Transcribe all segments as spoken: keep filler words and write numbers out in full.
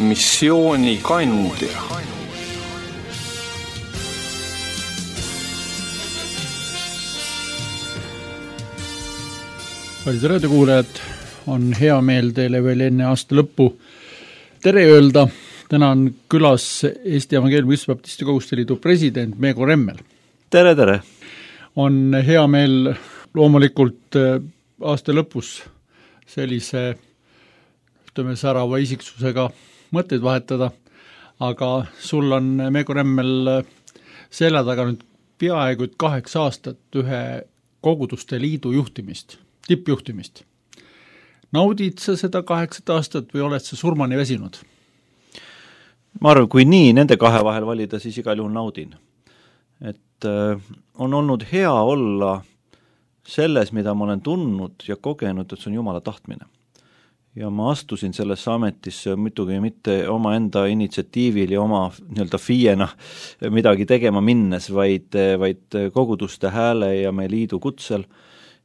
missiooni kandja. Kallid raadiokuulajad, on hea meel teile veel enne aasta lõppu tere öelda. Täna on külas Eesti Evangeelne Baptisti Koguduste Liidu president Meego Remmel. Tere, tere! On hea meel loomulikult aasta lõpus sellise ütleme särava isiksusega mõtteid vahetada, aga sul on Meego Remmel selja taga nüüd peaaegu kaheksa aastat ühe Koguduste Liidu juhtimist, tippjuhtimist. Naudid sa seda kaheksat aastat või oled sa surmani väsinud? Ma arvan, kui nii nende kahe vahel valida, siis igal juhul naudin. Et äh, on olnud hea olla selles, mida ma olen tundnud ja kogenud, et see on Jumala tahtmine. Ja ma astusin sellesse ametisse muidugi mitte oma enda initsiatiivil ja oma nii-öelda fiiena midagi tegema minnes, vaid, vaid koguduste hääle ja meie liidu kutsel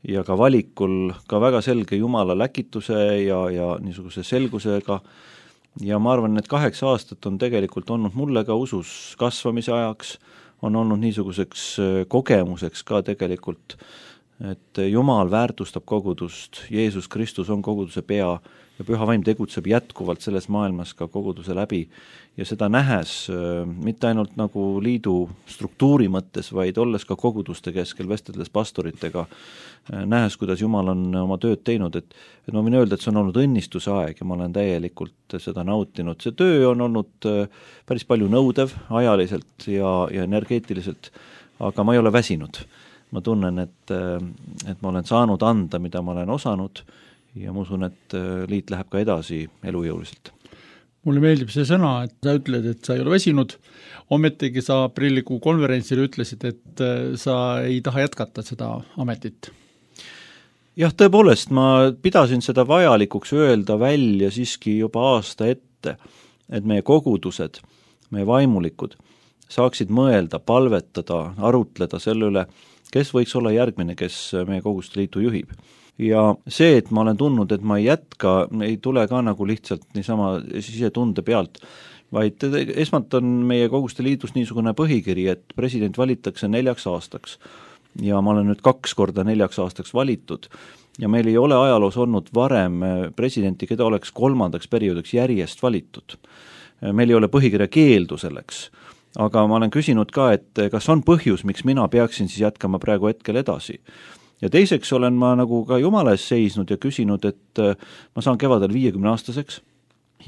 ja ka valikul ka väga selge Jumala läkituse ja, ja niisuguse selgusega. Ja ma arvan, et kaheksa aastat on tegelikult olnud mulle ka usus kasvamise ajaks, on olnud niisuguseks kogemuseks ka tegelikult, et Jumal väärtustab kogudust, Jeesus Kristus on koguduse pea ja Püha Vaim tegutseb jätkuvalt selles maailmas ka koguduse läbi ja seda nähes mitte ainult nagu liidu struktuuri mõttes, vaid olles ka koguduste keskel, vesteldes pastoritega, nähes, kuidas Jumal on oma tööd teinud, et, et ma võin öelda, et see on olnud õnnistuse aeg ja ma olen täielikult seda nautinud. See töö on olnud päris palju nõudev ajaliselt ja, ja energeetiliselt, aga ma ei ole väsinud. Ma tunnen, et, et ma olen saanud anda, mida ma olen osanud ja ma usun, et liit läheb ka edasi elujõuliselt. Mulle meeldib see sõna, et sa ütled, et sa ei ole väsinud. Ometigi sa aprillikuu konverentsil ütlesid, et sa ei taha jätkata seda ametit. Jah, tõepoolest, ma pidasin seda vajalikuks öelda välja siiski juba aasta ette, et meie kogudused, meie vaimulikud saaksid mõelda, palvetada, arutleda selle üle, kes võiks olla järgmine, kes meie Koguduste Liitu juhib. Ja see, et ma olen tundnud, et ma ei jätka, ei tule ka nagu lihtsalt niisama sisetunde pealt, vaid esmalt on meie Koguduste Liidus niisugune põhikiri, et president valitakse neljaks aastaks ja ma olen nüüd kaks korda neljaks aastaks valitud ja meil ei ole ajaloos olnud varem presidenti, keda oleks kolmandaks perioodiks järjest valitud. Meil ei ole põhikirja keeldu selleks. Aga ma olen küsinud ka, et kas on põhjus, miks mina peaksin siis jätkama praegu hetkel edasi. Ja teiseks olen ma nagu ka Jumala ees seisnud ja küsinud, et ma saan kevadel viiekümne aastaseks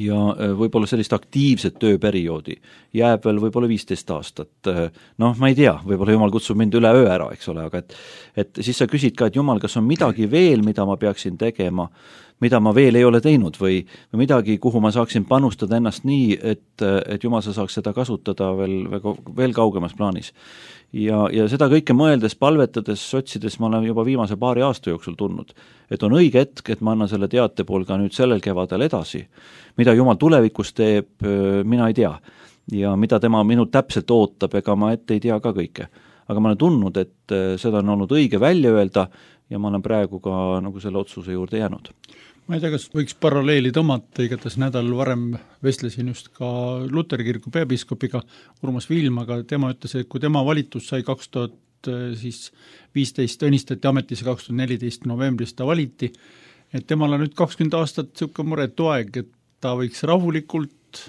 ja võib-olla sellist aktiivset tööperioodi jääb veel võib-olla viisteist aastat. Noh, ma ei tea, võib-olla Jumal kutsub mind üle öö ära, eks ole, aga et, et siis sa küsid ka, et Jumal, kas on midagi veel, mida ma peaksin tegema, mida ma veel ei ole teinud või, või midagi, kuhu ma saaksin panustada ennast nii, et, et Jumal sa saaks seda kasutada veel, veel kaugemas plaanis. Ja, ja seda kõike mõeldes, palvetades, otsides ma olen juba viimase paari aasta jooksul tulnud, et on õige hetk, et ma annan selle teate pool ka nüüd sellel kevadel edasi. Mida Jumal tulevikus teeb, mina ei tea. Ja mida tema minult täpselt ootab, ega ma ette ei tea ka kõike. Aga ma olen tundnud, et seda on olnud õige välja öelda ja ma olen praegu ka nagu selle otsuse juurde jäänud. Ma ei tea, kas võiks paralleeli tõmmata, igatas nädal varem vestlesin just ka Luteri kiriku peapiiskopiga Urmas Viilmaga, tema ütles, et kui tema valitus sai kaks tuhat viisteist õnnistati ametisse kaks tuhat neliteist novembris ta valiti, et temal on nüüd kakskümmend aastat siuke muretu aeg, et ta võiks rahulikult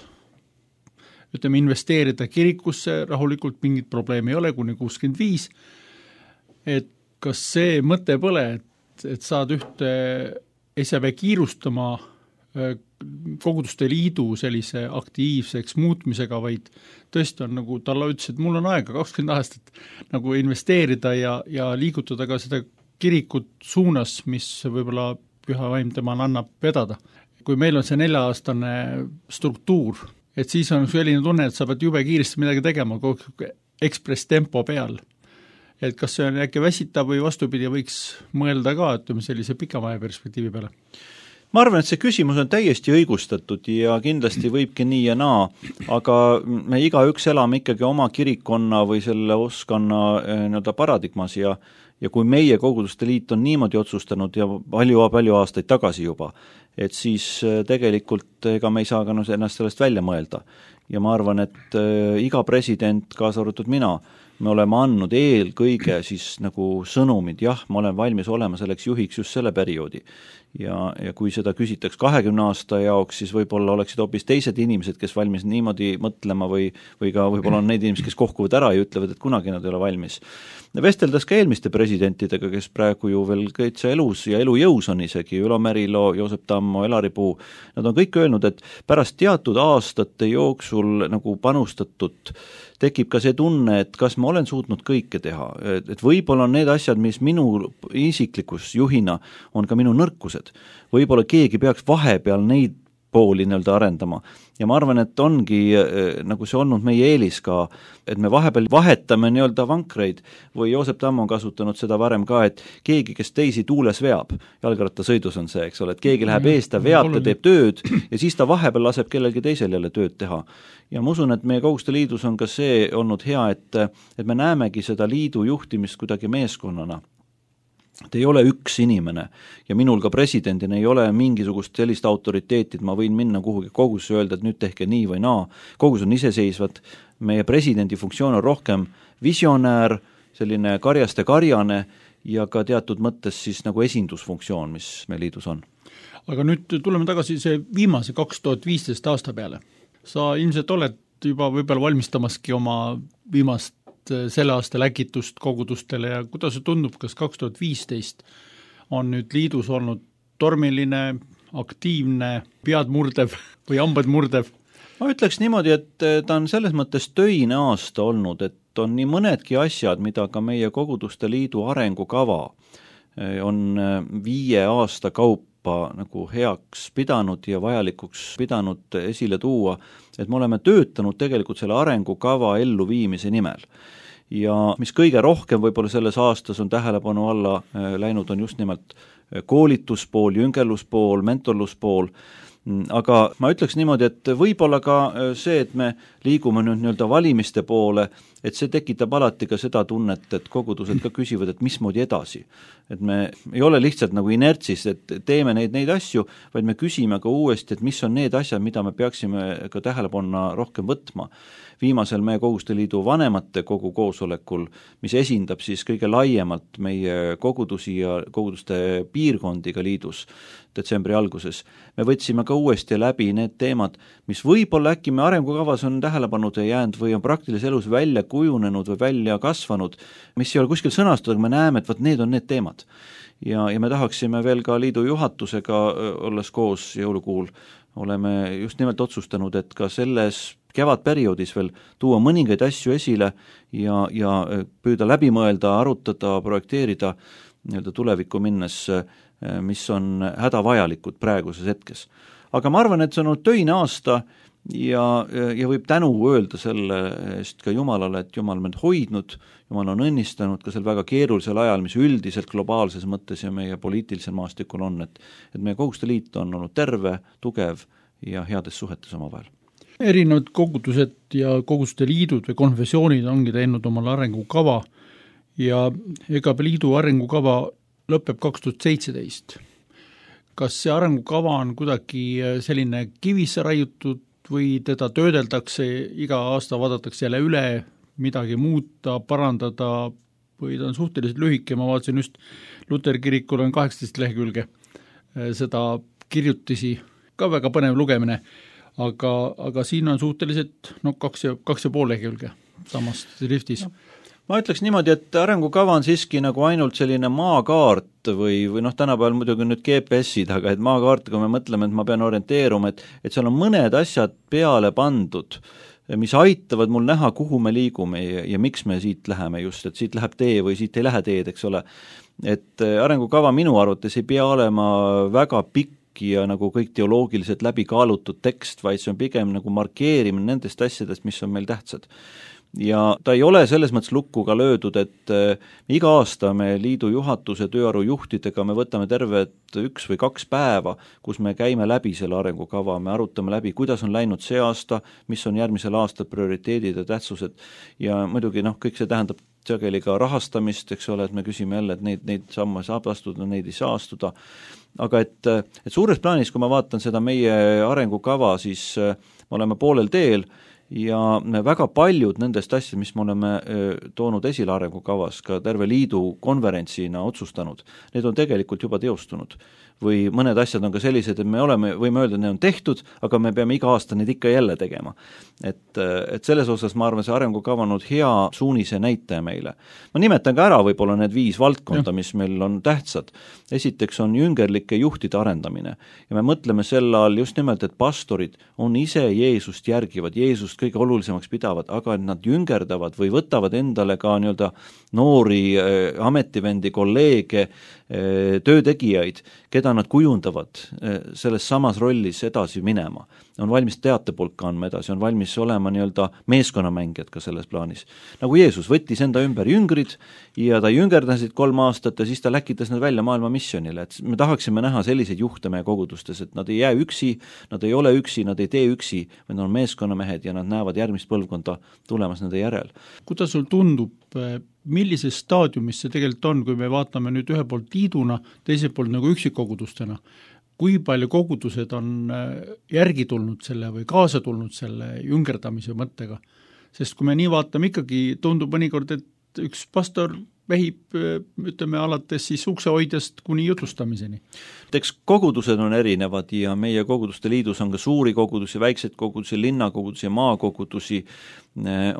ütleme investeerida kirikusse, rahulikult mingit probleemi ei ole, kuni kuuskümmend viis, et kas see mõte pole, et, et saad ühte ei saa pea kiirustama Koguduste Liidu sellise aktiivseks muutmisega, vaid tõesti on nagu Talla ütles, et mul on aega kakskümmend aastat nagu investeerida ja, ja liigutada ka seda kirikut suunas, mis võib-olla Püha Vaim temal annab vedada. Kui meil on see nelja-aastane struktuur, et siis on selline tunne, et sa pead jube kiiresti midagi tegema, ekspress tempo peal. Et kas see on äkki väsita või vastupidi võiks mõelda ka, ütleme sellise pikamaja perspektiivi peale? Ma arvan, et see küsimus on täiesti õigustatud ja kindlasti võibki nii ja naa, aga me igaüks elame ikkagi oma kirikonna või selle oskanna nii-öelda paradigmas ja, ja kui meie Koguduste Liit on niimoodi otsustanud ja palju, palju aastaid tagasi juba, et siis tegelikult ega me ei saa ka no, ennast sellest välja mõelda. Ja ma arvan, et iga president, kaasa arvatud mina, me oleme andnud eelkõige siis nagu sõnumid, jah, ma olen valmis olema selleks juhiks just selle perioodi. Ja, ja kui seda küsitaks kahekümne aasta jaoks, siis võib-olla oleksid hoopis teised inimesed, kes valmis niimoodi mõtlema või, või ka võib-olla on need inimesed, kes kohkuvad ära ja ütlevad, et kunagi nad ei ole valmis. Vesteldes ka eelmiste presidentidega, kes praegu ju veel kõitsa elus ja elujõus on isegi, Ülo Merilo, Joosep Tammo, Elari Puu, nad on kõik öelnud, et pärast teatud aastate jooksul nagu panustatud tekib ka see tunne, et kas ma olen suutnud kõike teha, et võib-olla on need asjad, mis minu isiklikus juhina on ka minu nõrkused. Võib-olla keegi peaks vahepeal neid pooli nii-öelda arendama. Ja ma arvan, et ongi nagu see olnud meie eelis ka, et me vahepeal vahetame nii-öelda vankreid või Joosep Tammo on kasutanud seda varem ka, et keegi, kes teisi tuules veab, jalgrattasõidus on see, eks ole, et keegi läheb eest, ta veab, ta teeb tööd ja siis ta vahepeal laseb kellelgi teisel jälle tööd teha. Ja ma usun, et meie Koguste Liidus on ka see olnud hea, et, et me näemegi seda liidu juhtimist kuidagi meeskonnana. Et ei ole üks inimene ja minul ka presidendina ei ole mingisugust sellist autoriteeti, et ma võin minna kuhugi kogusse öelda, et nüüd tehke nii või naa. Kogus on iseseisvad, meie presidendi funktsioon on rohkem visionäär, selline karjaste karjane ja ka teatud mõttes siis nagu esindusfunktsioon, mis meil liidus on. Aga nüüd tuleme tagasi see viimase kaks tuhat viisteist aasta peale. Sa ilmselt oled juba võib-olla valmistamaski oma viimast selle aasta läkitust kogudustele ja kuidas see tundub, kas kaks tuhat viisteist on nüüd liidus olnud tormiline, aktiivne, pead murdev või hambad murdev? Ma ütleks niimoodi, et ta on selles mõttes töine aasta olnud, et on nii mõnedki asjad, mida ka meie Koguduste Liidu arengukava on viie aasta kaupa nagu heaks pidanud ja vajalikuks pidanud esile tuua, et me oleme töötanud tegelikult selle arengukava elluviimise nimel. Ja mis kõige rohkem võib-olla selles aastas on tähelepanu alla läinud, on just nimelt koolituspool, jüngerluspool, mentorluspool, aga ma ütleks niimoodi, et võib-olla ka see, et me liigume nüüd nii-öelda valimiste poole, et see tekitab alati ka seda tunnet, et kogudused ka küsivad, et mismoodi edasi. Et me ei ole lihtsalt nagu inertsis, et teeme neid, neid asju, vaid me küsime ka uuesti, et mis on need asjad, mida me peaksime ka tähelepanu rohkem võtma. Viimasel meie Koguste Liidu vanemate kogu koosolekul, mis esindab siis kõige laiemalt meie kogudusi ja koguduste piirkondiga liidus detsembri alguses, me võtsime ka uuesti läbi need teemad, mis võib-olla äkki me arengukavas on tähelepanud jäänud või on praktilises elus välja kujunenud või välja kasvanud, mis ei ole kuskil sõnastatud, aga me näeme, et võt, need on need teemad. Ja, ja me tahaksime veel ka liidu juhatusega olles koos jõulukuul, oleme just nimelt otsustanud, et ka selles kevadperioodis veel tuua mõningaid asju esile ja, ja püüda läbi mõelda, arutada, projekteerida nii-öelda tulevikku minnes, mis on hädavajalikud praeguses hetkes. Aga ma arvan, et see on olnud töine aasta ja, ja võib tänu öelda selle eest ka Jumalale, et Jumal meid hoidnud, Jumal on õnnistanud ka sel väga keerulisel ajal, mis üldiselt globaalses mõttes ja meie poliitilisel maastikul on, et, et meie Koguste Liit on olnud terve, tugev ja heades suhetes omavahel. Erinevad kogudused ja koguduste liidud või konfessioonid ongi teinud omal arengukava ja ega liidu arengukava lõpeb kaks tuhat seitseteist. Kas see arengukava on kuidagi selline kivisse raiutud või teda töödeldakse, iga aasta vaadatakse jälle üle, midagi muuta, parandada või ta on suhteliselt lühike, ma vaatasin just Luteri kirikul on kaheksateist lehekülge seda kirjutisi, ka väga põnev lugemine, aga, aga siin on suhteliselt no, kaks, ja, kaks ja pool lehekülge samast skriftis. Ma ütleks niimoodi, et arengukava on siiski nagu ainult selline maakaart või, või noh, tänapäeval muidugi nüüd G P S-id, aga et maakaart, kui me mõtleme, et ma pean orienteeruma, et, et seal on mõned asjad peale pandud, mis aitavad mul näha, kuhu me liigume ja, ja miks me siit läheme just, et siit läheb tee või siit ei lähe teed, eks ole. Et arengukava minu arvates ei pea olema väga pikk ja nagu kõik teoloogiliselt läbi kaalutud tekst, vaid see on pigem nagu markeerimine nendest asjadest, mis on meil tähtsad. Ja ta ei ole selles mõttes lukku ka löödud, et äh, iga aasta me liidu juhatuse tööaru juhtidega me võtame tervet üks või kaks päeva, kus me käime läbi selle arengukava, me arutame läbi, kuidas on läinud see aasta, mis on järgmisel aastal prioriteedid ja tähtsused ja muidugi noh, kõik see tähendab sageli ka rahastamist, eks ole, et me küsime jälle, et neid, neid samme saab astuda, neid ei saa astuda, aga et, et suures plaanis, kui ma vaatan seda meie arengukava, siis me oleme poolel teel ja väga paljud nendest asjad, mis me oleme toonud esile arengukavas, ka terve liidu konverentsina otsustanud, need on tegelikult juba teostunud. Või mõned asjad on ka sellised, et me oleme, võime öelda, et need on tehtud, aga me peame iga aasta neid ikka jälle tegema. Et, et selles osas ma arvan, see arengukava on hea suunise näitaja meile. Ma nimetan ka ära võib-olla need viis valdkonda, ja. mis meil on tähtsad. Esiteks on jüngerlike juhtide arendamine ja me mõtleme selle all just nimelt, et pastorid on ise Jeesust järgivad, Jeesust kõige olulisemaks pidavad, aga et nad jüngerdavad või võtavad endale ka nii-öelda noori äh, ametivendi, kolleege, äh, töötegijaid, keda nad kujundavad äh, selles samas rollis edasi minema. On valmis teatepulka andma edasi, on valmis olema nii-öelda meeskonnamängijad ka selles plaanis. Nagu Jeesus võttis enda ümber jüngrid ja ta jüngerdasid kolm aastat ja siis ta läkitas nad välja maailma missionile, et me tahaksime näha selliseid juhte meie kogudustes, et nad ei jää üksi, nad ei ole üksi, nad ei tee üksi, vaid nad on meeskonnamehed ja nad näevad järgmist põlvkonda tulemas nende järel. Kuidas sul tundub, millises staadiumis see tegelikult on, kui me vaatame nüüd ühe poolt liiduna, teiselt poolt nagu üksikkogudustena? Kui palju kogudused on järgi tulnud selle või kaasa tulnud selle jüngerdamise mõttega? Sest kui me nii vaatame, ikkagi tundub mõnikord, et üks pastor vehib, ütleme, alates siis uksehoidjast kuni jutustamiseni. Eks kogudused on erinevad ja meie koguduste liidus on ka suuri kogudusi, väikseid kogudusi, linnakogudusi ja maakogudusi.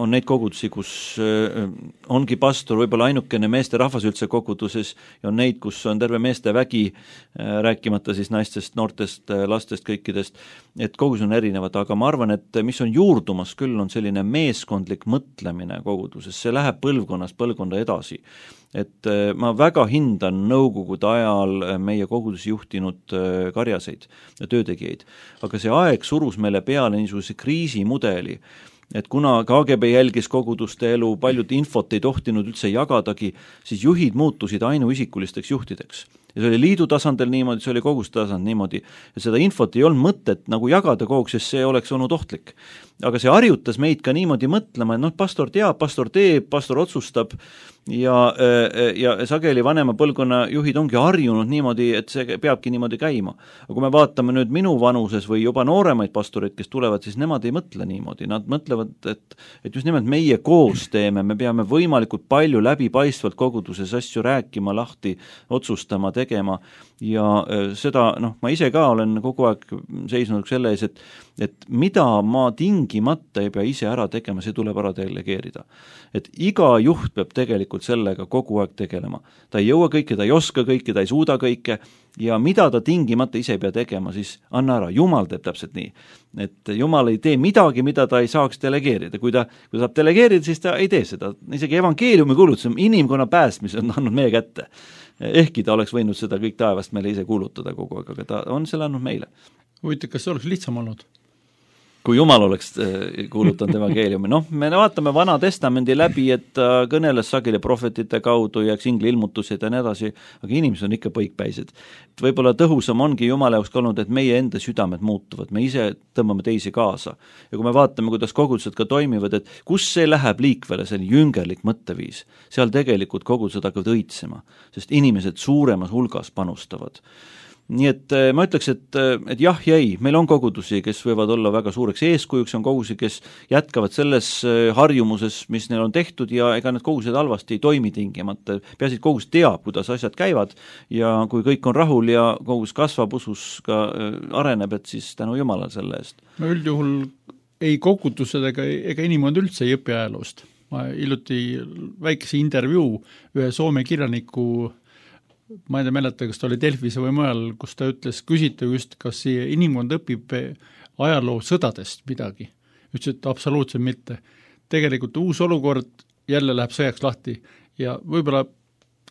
On neid kogudusi, kus ongi pastor võib-olla ainukene meeste rahvas üldse koguduses ja on neid, kus on terve meeste vägi, rääkimata siis naistest, noortest, lastest, kõikidest, et kogudus on erinevad, aga ma arvan, et mis on juurdumas küll, on selline meeskondlik mõtlemine koguduses, see läheb põlvkonnast põlvkonda edasi. Et ma väga hindan nõukogude ajal meie kogudusi juhtinud karjaseid ja töötegijaid, aga see aeg surus meile peale niisuguse kriisimudeli, et kuna K G B jälgis koguduste elu, paljud infot ei tohtinud üldse jagadagi, siis juhid muutusid ainuisikulisteks juhtideks. Ja see oli liidu tasandil niimoodi, see oli koguste tasand niimoodi. Ja seda infot ei olnud mõtet nagu jagada kogu, sest see oleks olnud ohtlik. Aga see harjutas meid ka niimoodi mõtlema, et noh, pastor teab, pastor teeb, pastor otsustab ja, ja sageli vanema põlvkonna juhid ongi harjunud niimoodi, et see peabki niimoodi käima. Aga kui me vaatame nüüd minu vanuses või juba nooremaid pastoreid, kes tulevad, siis nemad ei mõtle niimoodi. Nad mõtlevad, et, et just nimelt meie koos teeme, me peame võimalikult palju läbipaistvalt koguduses asju rääkima, lahti otsustama, tegema ja seda, noh, ma ise ka olen kogu aeg seisnud selle ees, et, et mida ma tingimata ei pea ise ära tegema, see tuleb ära delegeerida. Et iga juht peab tegelikult sellega kogu aeg tegelema. Ta ei jõua kõike, ta ei oska kõike, ta ei suuda kõike ja mida ta tingimata ise ei pea tegema, siis anna ära. Jumal teeb täpselt nii. Et Jumal ei tee midagi, mida ta ei saaks delegeerida. Kui ta, kui ta saab delegeerida, siis ta ei tee seda. Isegi evangeeliumi kuulutus on inimkonna päästmis on andnud meie kätte. Ehkki ta oleks võinud seda kõik taevast meile ise kuulutada kogu aeg, aga ta on selle andnud meile. Huvitav, kas see oleks lihtsam olnud? Kui Jumal oleks kuulutanud evangeeliumi. Noh, me vaatame Vana Testamendi läbi, et ta kõneles sageli prohvetite kaudu ja singli ilmutused ja nii edasi, aga inimesed on ikka põikpäised. Võib-olla tõhusam ongi Jumala jaoks olnud, et meie enda südamed muutuvad, me ise tõmbame teisi kaasa. Ja kui me vaatame, kuidas kogudused ka toimivad, et kus see läheb liikvele, see jüngerlik mõtteviis, seal tegelikult kogudused hakkavad õitsema, sest inimesed suuremas hulgas panustavad. Nii et ma ütleks, et, et jah ja ei, meil on kogudusi, kes võivad olla väga suureks eeskujuks, on kogudusi, kes jätkavad selles harjumuses, mis neil on tehtud ja ega need kogudused halvasti ei toimi tingimata. Peaasi, et kogudus teab, kuidas asjad käivad ja kui kõik on rahul ja kogudus kasvab, usus ka areneb, et siis tänu Jumalale selle eest. No üldjuhul ei kogudused ega, ega inimkond üldse ei õpi ajaloost. Ma hiljuti väikese intervjuu ühe Soome kirjaniku ma ei tea mäleta, kas ta oli Delfis või mujal, kus ta ütles, küsita just, kas inimkond õpib ajaloo sõdadest midagi. Ütles, et absoluutselt mitte. Tegelikult uus olukord jälle läheb sõjaks lahti ja võib-olla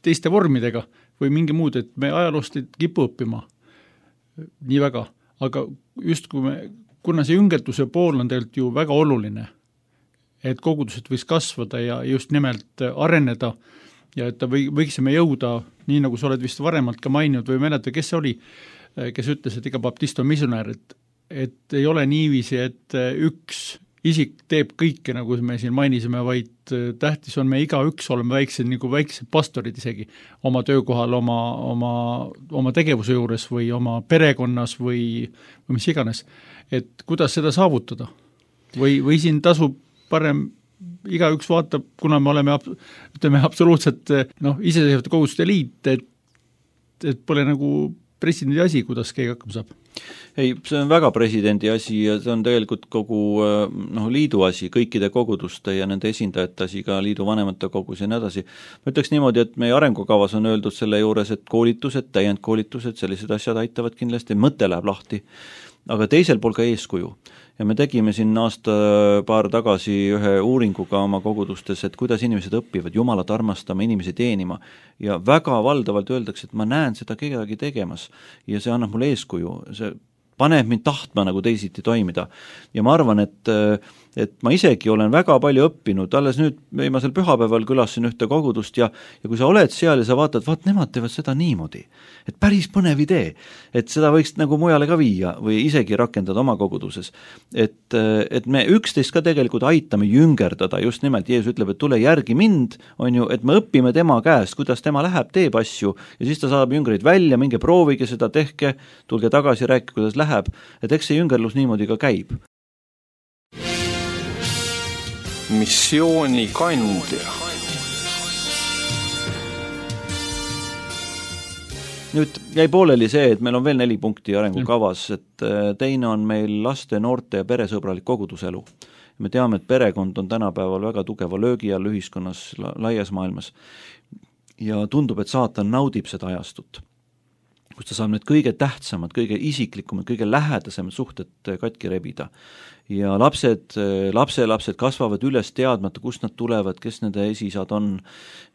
teiste vormidega või mingi muud, et me ajaloost ei kipu õppima nii väga. Aga just kui me, kuna see jüngertuse pool on tegelikult ju väga oluline, et kogudused võiks kasvada ja just nimelt areneda ja et või, võiksime jõuda, nii nagu sa oled vist varemalt ka maininud või mäleta, kes see oli, kes ütles, et iga baptist on missionär, et, et ei ole niiviisi, et üks isik teeb kõike, nagu me siin mainisime, vaid tähtis on me igaüks oleme väiksed, nagu väiksed pastorid isegi oma töökohal, oma, oma, oma tegevuse juures või oma perekonnas või, või mis iganes. Et kuidas seda saavutada? Või, või siin tasub parem igaüks vaatab, kuna me oleme ütleme absoluutselt noh, iseseisvate koguduste liit, et, et pole nagu presidendi asi, kuidas keegi hakkama saab. Ei, see on väga presidendi asi ja see on tegelikult kogu noh, liidu asi, kõikide koguduste ja nende esindajate asi, ka liidu vanemate kogus ja nii edasi. Ma ütleks niimoodi, et meie arengukavas on öeldud selle juures, et koolitused, täiendkoolitused, sellised asjad aitavad kindlasti, mõte läheb lahti, aga teisel pool ka eeskuju. Ja me tegime siin aasta paar tagasi ühe uuringuga oma kogudustes, et kuidas inimesed õpivad Jumalat armastama, inimesi teenima ja väga valdavalt öeldakse, et ma näen seda kedagi tegemas ja see annab mulle eeskuju, see paneb mind tahtma nagu teisiti toimida. Ja ma arvan, et, et ma isegi olen väga palju õppinud, alles nüüd viimasel pühapäeval külasin ühte kogudust ja, ja kui sa oled seal ja sa vaatad, vaat nemad teevad seda niimoodi, et päris põnev idee, et seda võiks nagu mujale ka viia või isegi rakendada oma koguduses. Et, et me üksteist ka tegelikult aitame jüngerdada, just nimelt Jeesus ütleb, et tule järgi mind, on ju, et me õpime tema käest, kuidas tema läheb, teeb asju ja siis ta saab jüngreid välja, minge proovige seda, tehke, tulge tagasi, rääkige, kuidas läheb, et eks see jüngerlus niimoodi ka käib. Missiooni kandja. Nüüd jäi pooleli see, et meil on veel neli punkti arengukavas, et teine on meil laste, noorte ja peresõbralik koguduselu. Me teame, et perekond on tänapäeval väga tugeva löögi all ühiskonnas laias maailmas ja tundub, et saatan naudib seda ajastut, kus ta saab need kõige tähtsamad, kõige isiklikumad, kõige lähedasemad suhted katki rebida. Ja lapsed, lapselapsed kasvavad üles teadmata, kust nad tulevad, kes nende esisad on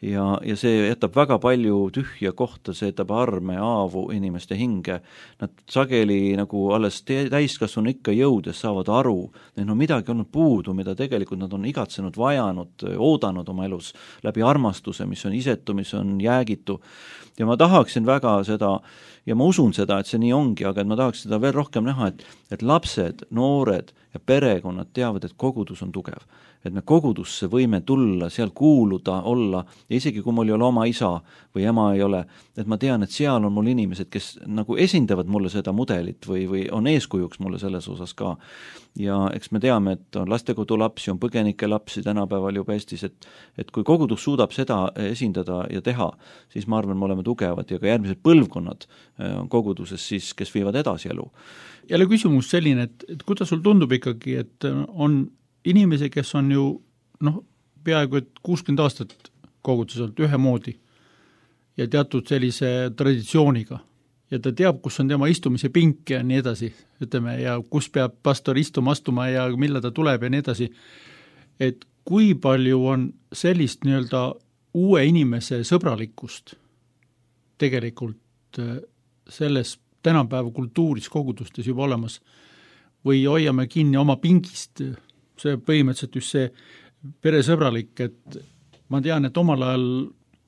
ja, ja see jätab väga palju tühja kohta, see jätab arme, aavu inimeste hinge. Nad sageli nagu alles täiskasvanu ikka jõudes saavad aru, neil on midagi olnud puudu, mida tegelikult nad on igatsenud, vajanud, oodanud oma elus läbi armastuse, mis on isetu, mis on jäägitu. Ja ma tahaksin väga seda, ja ma usun seda, et see nii ongi, aga et ma tahaks seda veel rohkem näha, et, et lapsed, noored ja perekonnad teavad, et kogudus on tugev. Et me kogudusse võime tulla, seal kuuluda, olla, ja isegi kui mul ei ole oma isa või ema ei ole, et ma tean, et seal on mul inimesed, kes nagu esindavad mulle seda mudelit või, või on eeskujuks mulle selles osas ka. Ja eks me teame, et on lastekodu lapsi, on põgenike lapsi tänapäeval juba Eestis, et, et kui kogudus suudab seda esindada ja teha, siis ma arvan, me oleme tugevad ja ka järgmised põlvkonnad on koguduses siis, kes viivad edasi elu. Jälle küsimus selline, et, et kuidas sul tundub ikkagi, et on inimesi, kes on ju noh, peaaegu et kuuskümmend aastat koguduselt ühemoodi ja teatud sellise traditsiooniga ja ta teab, kus on tema istumise pink ja nii edasi, ütleme, ja kus peab pastor istuma, astuma ja mille ta tuleb ja nii edasi, et kui palju on sellist nii-öelda uue inimese sõbralikkust tegelikult selles tänapäeva kultuuris kogudustes juba olemas või hoiame kinni oma pingist, see põhimõtteliselt just see peresõbralik, et ma tean, et omal ajal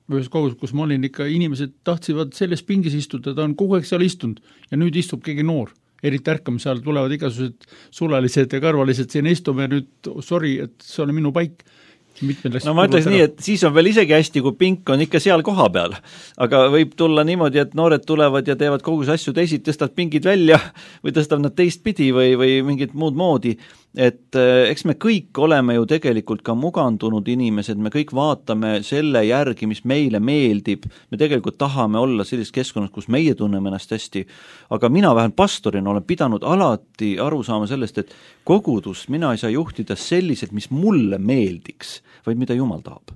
ühes kogudus, kus ma olin ikka, inimesed tahtsid selles pingis istuda, ta on kogu aeg seal istunud ja nüüd istub keegi noor, eriti ärkamise ajal tulevad igasugused sulalised ja karvalised siin istume ja nüüd sorry, et see on minu paik. No ma ütleks nii, et siis on veel isegi hästi, kui pink on ikka seal koha peal, aga võib tulla niimoodi, et noored tulevad ja teevad kogu see asju teisid, tõstavad pingid välja või tõstavad nad teist pidi või, või mingit muud moodi, et eks me kõik oleme ju tegelikult ka mugandunud inimesed, me kõik vaatame selle järgi, mis meile meeldib, me tegelikult tahame olla sellises keskkonnas, kus meie tunneme ennast hästi, aga mina vähemalt pastorina olen pidanud alati aru saama sellest, et kogudus mina ei saa juhtida selliselt, mis mulle meeldiks, vaid mida Jumal tahab.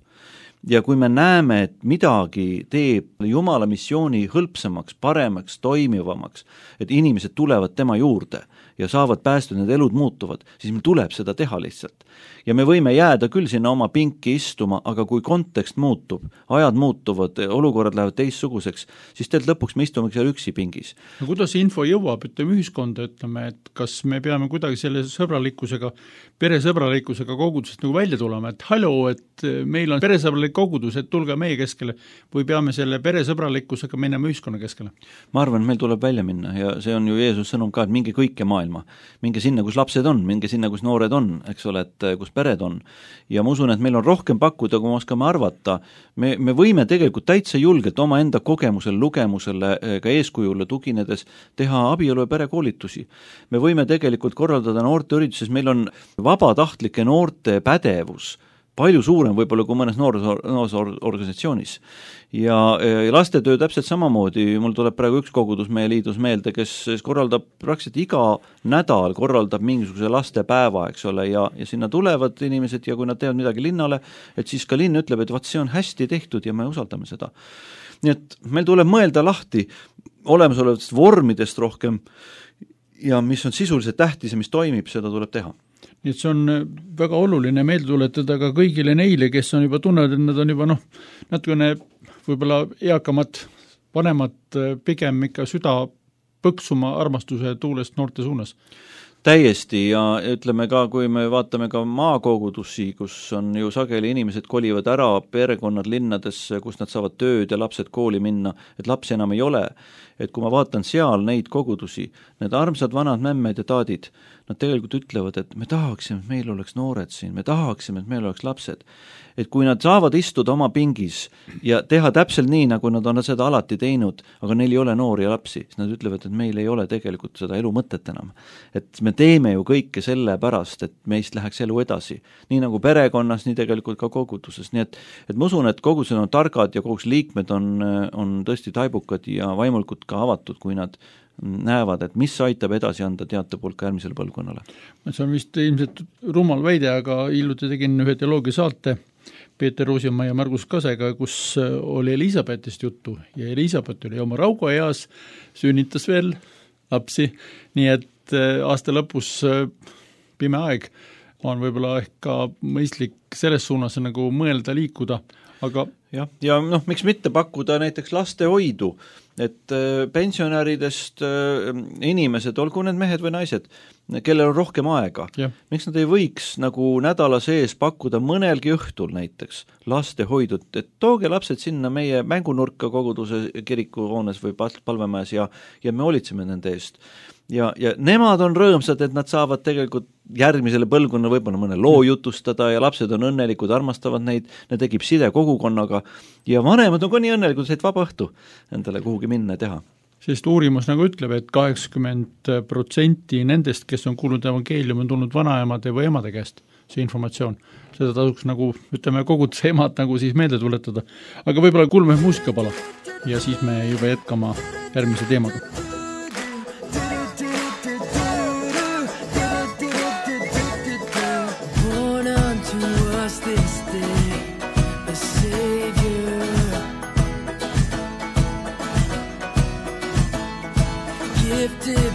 Ja kui me näeme, et midagi teeb Jumala missiooni hõlpsamaks, paremaks, toimivamaks, et inimesed tulevad tema juurde ja saavad päästud, need elud muutuvad, siis meil tuleb seda teha lihtsalt. Ja me võime jääda küll sinna oma pinki istuma, aga kui kontekst muutub, ajad muutuvad, olukorrad lähevad teissuguseks, siis teelt lõpuks me istume seal üksi pingis. No kuidas info jõuab, ütleme ühiskonda, ütleme, et kas me peame kuidagi selle sõbralikkusega, peresõbralikkusega kogudusest nagu välja tulema, et hallo, et meil on peresõbralik kogudus, et tulge meie keskele, või peame selle peresõbralikkusega minema ühiskonna keskele? Ma arvan, et meil tuleb välja minna ja see on ju Jeesus sõnum ka, et minge kõike maailma maailma. Minge sinna, kus lapsed on, minge sinna, kus noored on, eks ole, et kus pered on. Ja ma usun, et meil on rohkem pakkuda, kui me oskame arvata. Me, me võime tegelikult täitsa julgelt oma enda kogemusele, lugemusele, ka eeskujule tuginedes teha abielu ja perekoolitusi. Me võime tegelikult korraldada noorte ürituses, meil on vabatahtlike noorte pädevus palju suurem võib-olla kui mõnes noorusorganisatsioonis. Ja, ja lastetöö täpselt samamoodi, mul tuleb praegu üks kogudus meie liidus meelde, kes korraldab praktiliselt iga nädal, korraldab mingisuguse lastepäeva, eks ole, ja, ja sinna tulevad inimesed ja kui nad teevad midagi linnale, et siis ka linn ütleb, et vaat see on hästi tehtud ja me usaldame seda. Nii et meil tuleb mõelda lahti olemasolevatest vormidest rohkem ja mis on sisuliselt tähtis ja mis toimib, seda tuleb teha. Nii et see on väga oluline meelde tuletada ka kõigile neile, kes on juba tunnevad, et nad on juba noh, natukene võib-olla eakamad, vanemad pigem ikka süda põksuma armastuse tuulest noorte suunas. Täiesti ja ütleme ka, kui me vaatame ka maakogudusi, kus on ju sageli inimesed kolivad ära perekonnad linnadesse, kus nad saavad tööd ja lapsed kooli minna, et lapsi enam ei ole. Et kui ma vaatan seal neid kogudusi, need armsad vanad mämmed ja taadid, nad tegelikult ütlevad, et me tahaksime, et meil oleks noored siin, me tahaksime, et meil oleks lapsed. Et kui nad saavad istuda oma pingis ja teha täpselt nii, nagu nad on seda alati teinud, aga neil ei ole noori ja lapsi, siis nad ütlevad, et meil ei ole tegelikult seda elu mõtet enam. Et me teeme ju kõike selle pärast, et meist läheks elu edasi. Nii nagu perekonnas, nii tegelikult ka koguduses. Nii et, et ma usun, et kogudused on targad ja koguduse liikmed on, on tõesti taibukad ja vaimulikud ka avatud, kui nad näevad, et mis aitab edasi anda teate poolt ka järgmisele põlvkonnale. See on vist ilmselt rumal väide, aga hiljuti tegin ühe teoloogia saate Peeter Ruusimaa ja Margus Kasega, kus oli Elisabetist juttu ja Elisabet oli oma raugueas, sünnitas veel lapsi, nii et aasta lõpus pime aeg on võib-olla ehk ka mõistlik selles suunas nagu mõelda liikuda, aga jah, ja noh, miks mitte pakkuda näiteks lastehoidu, et pensionäridest inimesed, olgu need mehed või naised, kellel on rohkem aega, ja. Miks nad ei võiks nagu nädala sees pakkuda mõnelgi õhtul näiteks lastehoidut, et tooge lapsed sinna meie mängunurka koguduse kirikuhoones või palvemajas ja, ja me hoolitseme nende eest. Ja, ja nemad on rõõmsad, et nad saavad tegelikult järgmisele põlvkonna võib-olla mõne loo jutustada ja lapsed on õnnelikud, armastavad neid, need tekib side kogukonnaga ja vanemad on ka nii õnnelikud, et vaba õhtu endale kuhugi minna ja teha. Sest uurimus nagu ütleb, et kaheksakümmend protsenti nendest, kes on kuulnud evangeelium, on tulnud vanaemade või emade käest, see informatsioon. Seda tasuks nagu, ütleme, koguduse emad nagu siis meelde tuletada. Aga võib-olla kuulme muusikapala ja siis me juba jätkama järgmise teemaga. It's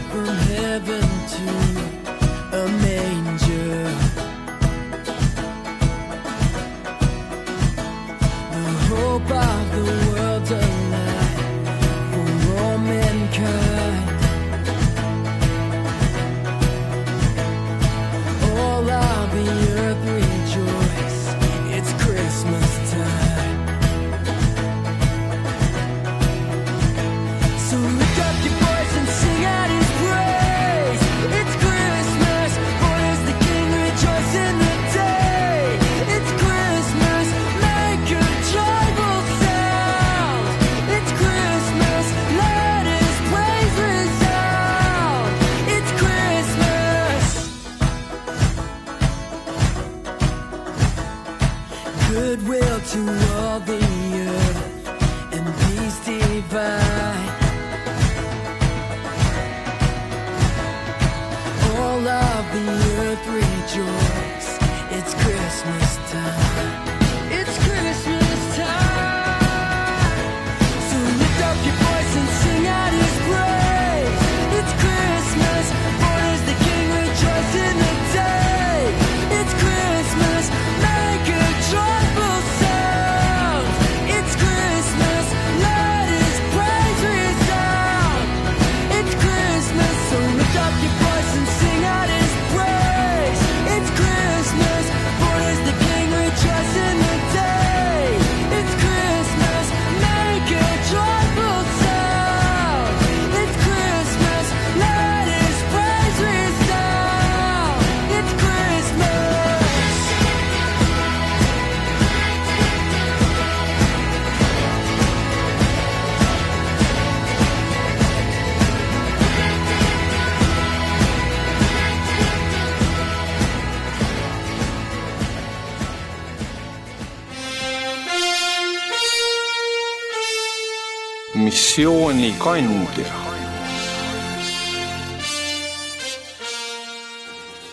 missioonikandja.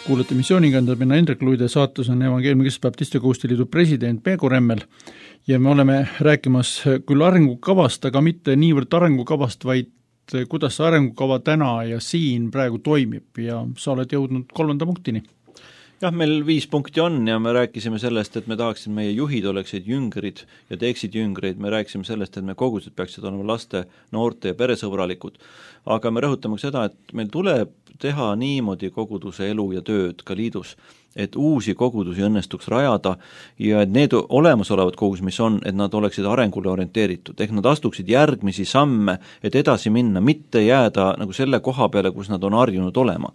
Kuulete missioonikandja, minna Hendrik Luide, saates on Evangeeliumi Keskbaptiste Koostööliidu president Peego Remmel ja me oleme rääkimas küll arengukavast, aga mitte niivõrd arengukavast, vaid kuidas see arengukava täna ja siin praegu toimib ja sa oled jõudnud kolmanda punktini. Jah, meil viis punkti on ja me rääkisime sellest, et me tahaksime meie juhid oleksid jüngrid ja teeksid jüngreid, me rääkisime sellest, et me kogused peaksid olema laste, noorte ja peresõbralikud. Aga me rõhutame seda, et meil tuleb teha niimoodi koguduse elu ja tööd ka liidus, et uusi kogudusi õnnestuks rajada ja et need olemasolevad kogudused, mis on, et nad oleksid arengule orienteeritud, ehk nad astuksid järgmisi samme, et edasi minna, mitte jääda nagu selle koha peale, kus nad on harjunud olema.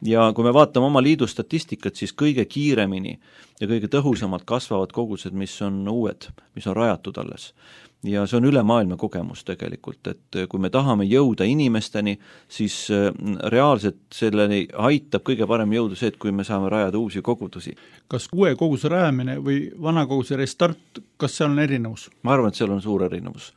Ja kui me vaatame oma liidu statistikat, siis kõige kiiremini ja kõige tõhusamalt kasvavad kogudused, mis on uued, mis on rajatud alles. Ja see on üle maailma kogemus tegelikult, et kui me tahame jõuda inimesteni, siis reaalselt selleni aitab kõige parem jõuda see, et kui me saame rajada uusi kogudusi. Kas uue koguduse rajamine või vana koguduse restart, kas seal on erinevus? Ma arvan, et seal on suur erinevus.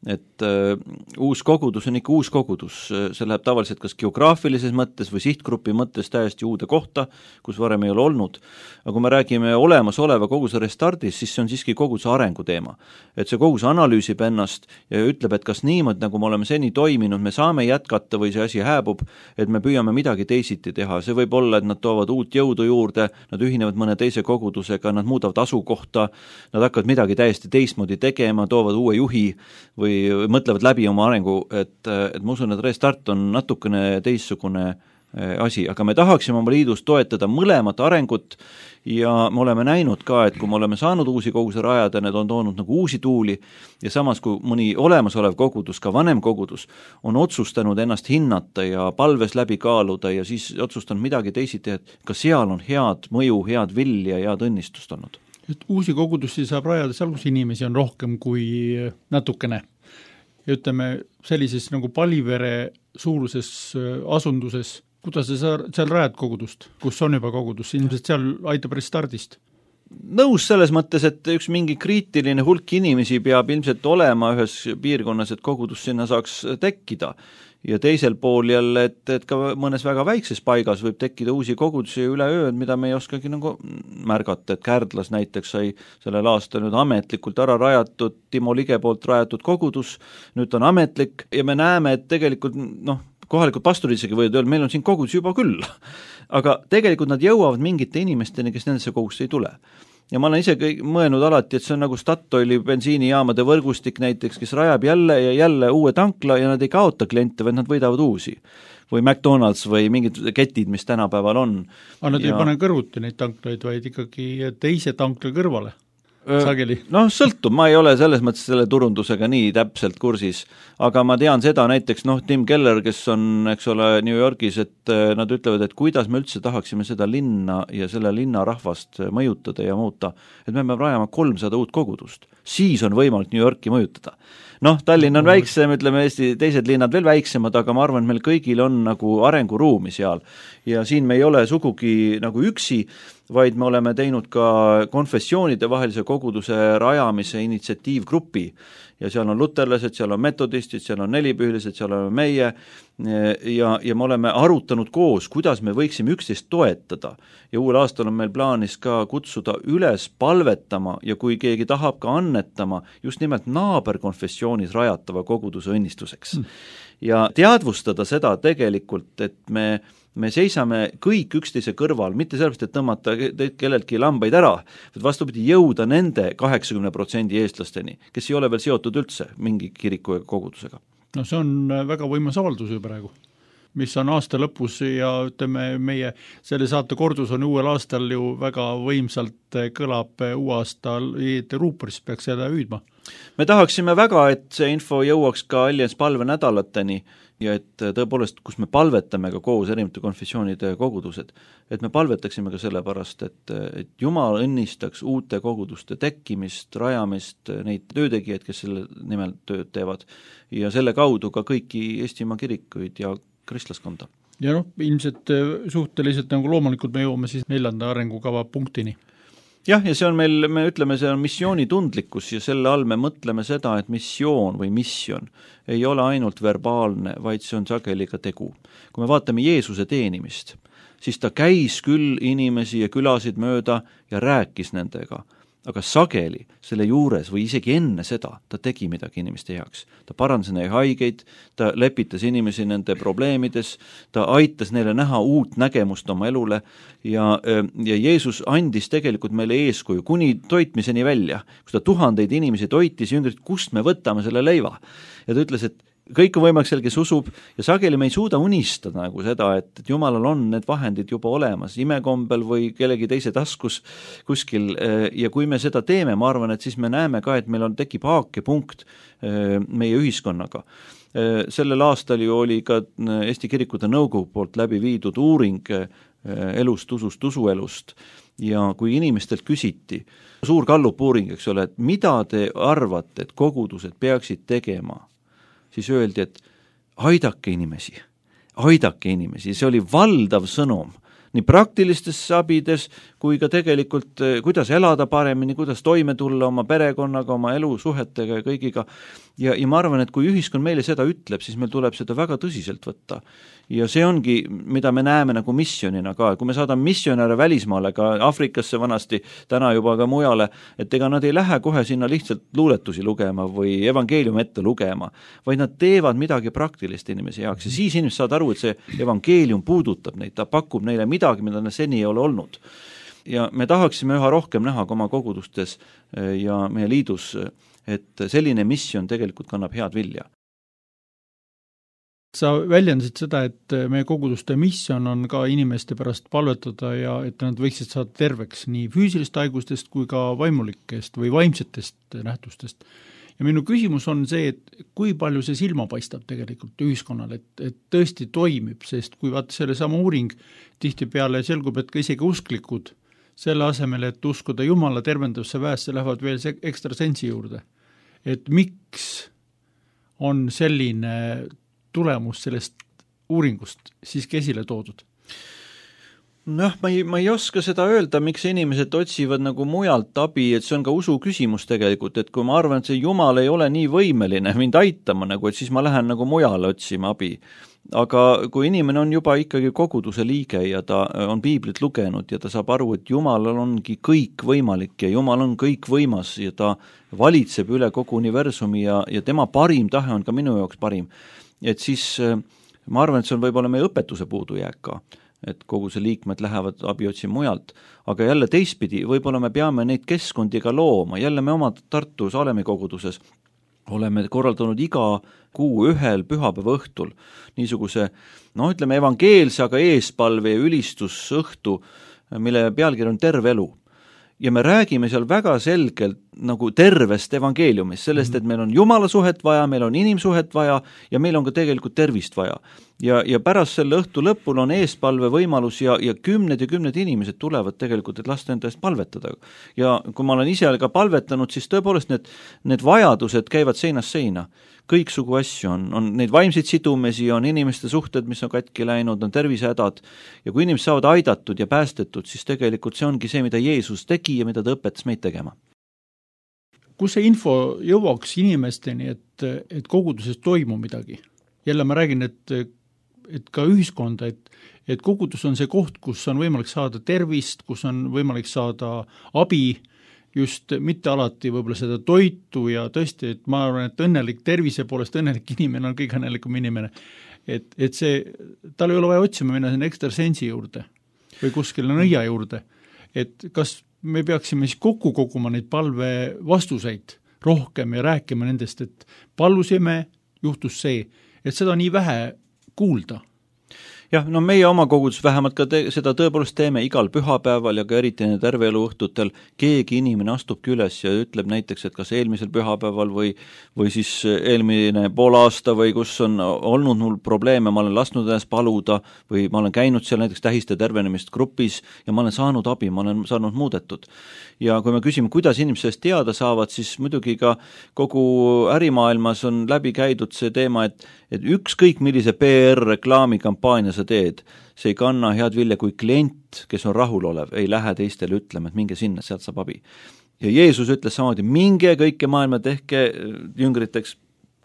Et uh, uus kogudus on ikka uus kogudus, see läheb tavaliselt kas geograafilises mõttes või sihtgrupi mõttes täiesti uude kohta, kus varem ei ole olnud. Aga kui me räägime olemasoleva koguduse restardis, siis see on siiski koguduse arengu teema. Et see kogudus analüüsib ennast ja ütleb, et kas niimoodi, nagu me oleme seni toiminud, me saame jätkata või see asi hääbub, et me püüame midagi teisiti teha. See võib olla, et nad toovad uut jõudu juurde, nad ühinevad mõne teise kogudusega, nad muudavad asukohta, nad hakkavad midagi täiesti teistmoodi tegema, toovad uue juhi või või mõtlevad läbi oma arengu, et, et ma usun, et restart on natukene teistsugune asi, aga me tahaksime oma liidus toetada mõlemat arengut ja me oleme näinud ka, et kui me oleme saanud uusi koguduse rajada, need on toonud nagu uusi tuuli ja samas kui mõni olemasolev kogudus, ka vanem kogudus, on otsustanud ennast hinnata ja palves läbi kaaluda ja siis otsustanud midagi teisiti, et ka seal on head mõju, head vilja ja head õnnistust olnud. Et uusi kogudusi saab rajada seal, kus inimesi on rohkem kui natukene. Ja ütleme, sellises nagu Palivere suuruses asunduses, kuidas sa seal rajad kogudust, kus on juba kogudus, ilmselt seal aitab restardist? Nõus selles mõttes, et üks mingi kriitiline hulk inimesi peab ilmselt olema ühes piirkonnas, et kogudus sinna saaks tekkida. Ja teisel pool jälle, et, et ka mõnes väga väikses paigas võib tekkida uusi kogudusi üle ööd, mida me ei oskagi nagu märgata, et Kärdlas näiteks sai sellel aastal nüüd ametlikult ära rajatud, Timo Lige poolt rajatud kogudus, nüüd on ametlik ja me näeme, et tegelikult noh, kohalikud pastorid isegi võivad öelda, meil on siin kogudus juba küll, aga tegelikult nad jõuavad mingite inimesteni, kes nendesse kogudusse ei tule. Ja ma olen isegi mõelnud alati, et see on nagu Statoili bensiinijaamade võrgustik näiteks, kes rajab jälle ja jälle uue tankla ja nad ei kaota kliente, vaid nad võidavad uusi. Või McDonald's või mingid ketid, mis tänapäeval on. Aga nad ja... ei pane kõrvuti neid tanklaid, vaid ikkagi teise tankla kõrvale. Sageli. Noh, sõltub, ma ei ole selles mõttes selle turundusega nii täpselt kursis, aga ma tean seda näiteks, noh, Tim Keller, kes on, eks ole, New Yorgis, et nad ütlevad, et kuidas me üldse tahaksime seda linna ja selle linna rahvast mõjutada ja muuta, et me peame rajama kolmsada uut kogudust, siis on võimalik New Yorki mõjutada. Noh, Tallinn on väiksem, ütleme Eesti teised linnad veel väiksemad, aga ma arvan, et meil kõigil on nagu arenguruumi seal ja siin me ei ole sugugi nagu üksi, vaid me oleme teinud ka konfessioonide vahelise koguduse rajamise initsiatiivgrupi ja seal on luterlased, seal on metodistid, seal on nelipühilised, seal oleme meie ja, ja me oleme arutanud koos, kuidas me võiksime üksteist toetada ja uuel aastal on meil plaanis ka kutsuda üles palvetama ja kui keegi tahab ka annetama just nimelt naaberkonfessioonis rajatava koguduse õnnistuseks mm. ja teadvustada seda tegelikult, et me me seisame kõik üksteise kõrval, mitte sellepärast, et tõmmata kelleltki lambaid ära, vaid vastupidi jõuda nende kaheksakümne protsendi eestlasteni, kes ei ole veel seotud üldse mingi kiriku ja kogudusega. No see on väga võimas avaldus ju praegu, mis on aasta lõpus ja ütleme, meie selle saate kordus on uuel aastal ju väga võimsalt kõlab uue aasta ruuporis peaks seda hüüdma. Me tahaksime väga, et see info jõuaks ka Alliance palve nädalateni ja et tõepoolest, kus me palvetame ka koos erinevate konfessioonide kogudused, et me palvetaksime ka selle pärast, et, et Jumal õnnistaks uute koguduste tekkimist, rajamist, neid töötegijaid, kes selle nimel tööd teevad ja selle kaudu ka kõiki Eestimaa kirikuid ja kristlaskonda. Ja noh, ilmselt suhteliselt nagu loomulikult me jõuame siis neljanda arengukava punktini. jah, ja see on meil, me ütleme, see on missioonitundlikkus ja selle all me mõtleme seda, et missioon või mission ei ole ainult verbaalne, vaid see on sageli ka tegu. Kui me vaatame Jeesuse teenimist, siis ta käis küll inimesi ja külasid mööda ja rääkis nendega, aga sageli selle juures või isegi enne seda ta tegi midagi inimeste heaks. Ta parandas neile haigeid, ta lepitas inimesi nende probleemides, ta aitas neile näha uut nägemust oma elule ja, ja Jeesus andis tegelikult meile eeskuju kuni toitmiseni välja, kus ta tuhandeid inimesi toitis ja üngrid, kust me võtame selle leiva. Ja ta ütles, et kõik on võimalik seal, kes usub ja sageli me ei suuda unistada nagu seda, et, et Jumalal on need vahendid juba olemas imekombel või kellegi teise taskus kuskil ja kui me seda teeme, ma arvan, et siis me näeme ka, et meil on, tekib haakepunkt meie ühiskonnaga. Sellel aastal ju oli ka Eesti Kirikute Nõukogu poolt läbi viidud uuring elust, usust, usuelust ja kui inimestelt küsiti, suur Gallup uuring, eks ole, et mida te arvate, et kogudused peaksid tegema, siis öeldi, et aidake inimesi, aidake inimesi, see oli valdav sõnum, nii praktilistes abides kui ka tegelikult, kuidas elada paremini, kuidas toime tulla oma perekonnaga, oma elusuhetega ja kõigiga. Ja, ja ma arvan, et kui ühiskond meile seda ütleb, siis meil tuleb seda väga tõsiselt võtta. Ja see ongi, mida me näeme nagu missionina ka, kui me saadame missionäre välismaale, ka Afrikasse vanasti, täna juba ka mujale, et ega nad ei lähe kohe sinna lihtsalt luuletusi lugema või evangeeliumi ette lugema, vaid nad teevad midagi praktilist inimesi heaks ja siis inimesed saavad aru, et see evangeelium puudutab neid, ta pakub neile midagi, mida nad seni ei ole olnud. Ja me tahaksime üha rohkem näha ka oma kogudustes ja meie liidus, et selline missioon tegelikult kannab head vilja. Sa väljendasid seda, et meie koguduste missioon on ka inimeste pärast palvetada ja et nad võiksid saada terveks nii füüsilist haigustest kui ka vaimulikest või vaimsetest nähtustest. Ja minu küsimus on see, et kui palju see silma paistab tegelikult ühiskonnal, et, et tõesti toimib, sest kui vaata selle sama uuring tihtipeale selgub, et ka isegi usklikud selle asemel, et uskuda Jumala tervendusse väesse, lähevad veel ekstra sensi juurde. Et miks on selline tulemus sellest uuringust siiski esile toodud? Noh, ma ei, ma ei oska seda öelda, miks inimesed otsivad nagu mujalt abi, et see on ka usu küsimus tegelikult, et kui ma arvan, et see Jumal ei ole nii võimeline mind aitama, nagu, et siis ma lähen nagu mujale otsima abi. Aga kui inimene on juba ikkagi koguduse liige ja ta on piiblit lugenud ja ta saab aru, et Jumalal ongi kõik võimalik ja Jumal on kõik võimas ja ta valitseb üle kogu universumi ja, ja tema parim tahe on ka minu jaoks parim, et siis ma arvan, et see on võib-olla meie õpetuse puudujääk ka, et kogu see liikmed lähevad abi otsima mujalt, aga jälle teistpidi, võib-olla me peame neid keskkondi ka looma, jälle me oma Tartu Salemi koguduses oleme korraldanud iga kuu ühel pühapäeva õhtul niisuguse, no ütleme evangeelse, aga eespalve ja ülistusõhtu, mille pealkiri on terve elu. Ja me räägime seal väga selgelt nagu tervest evangeeliumist, sellest, et meil on Jumala suhet vaja, meil on inimsuhet vaja ja meil on ka tegelikult tervist vaja. Ja, ja pärast selle õhtu lõpul on eespalve võimalus ja, ja kümned ja kümned inimesed tulevad tegelikult, et lasta enda eest palvetada. Ja kui ma olen ise ka palvetanud, siis tõepoolest need, need vajadused käivad seinast seina. Kõiksugu asju on, on neid vaimseid sidumesi, on inimeste suhted, mis on katki läinud, on tervisehädad ja kui inimesed saavad aidatud ja päästetud, siis tegelikult see ongi see, mida Jeesus tegi ja mida ta õpetas meid tegema. Kus see info jõuaks inimesteni, et, et koguduses toimub midagi? Jälle ma räägin, et, et ka ühiskonda, et, et kogudus on see koht, kus on võimalik saada tervist, kus on võimalik saada abi, just mitte alati võib-olla seda toitu ja tõesti, et ma arvan, et õnnelik tervise poolest õnnelik inimene on kõige õnnelikum inimene. Et, et see, tal ei ole vaja otsima minna sinna ekstra sensi juurde või kuskile nõia juurde. Et kas me peaksime siis kokku koguma neid palve vastuseid rohkem ja rääkima nendest, et palusime, juhtus see, et seda nii vähe kuulda. Jah, no meie oma kogudus vähemalt ka te, seda tõepoolest teeme igal pühapäeval ja ka eriti terve elu õhtutel. Keegi inimene astubki üles ja ütleb näiteks, et kas eelmisel pühapäeval või, või siis eelmine pool aasta või kus on olnud mul probleeme, ma olen lasknud ennast paluda või ma olen käinud seal näiteks tähiste tervenemist grupis ja ma olen saanud abi, ma olen saanud muudetud. Ja kui me küsime, kuidas inimesed sellest teada saavad, siis muidugi ka kogu ärimaailmas on läbi käidud see teema, et, et ükskõik millise P R-reklaamikampaania sa teed, see ei kanna head vilja, kui klient, kes on rahulolev, ei lähe teistele ütlema, et minge sinna, sealt saab abi. Ja Jeesus ütles samamoodi, minge kõike maailma, tehke jüngriteks,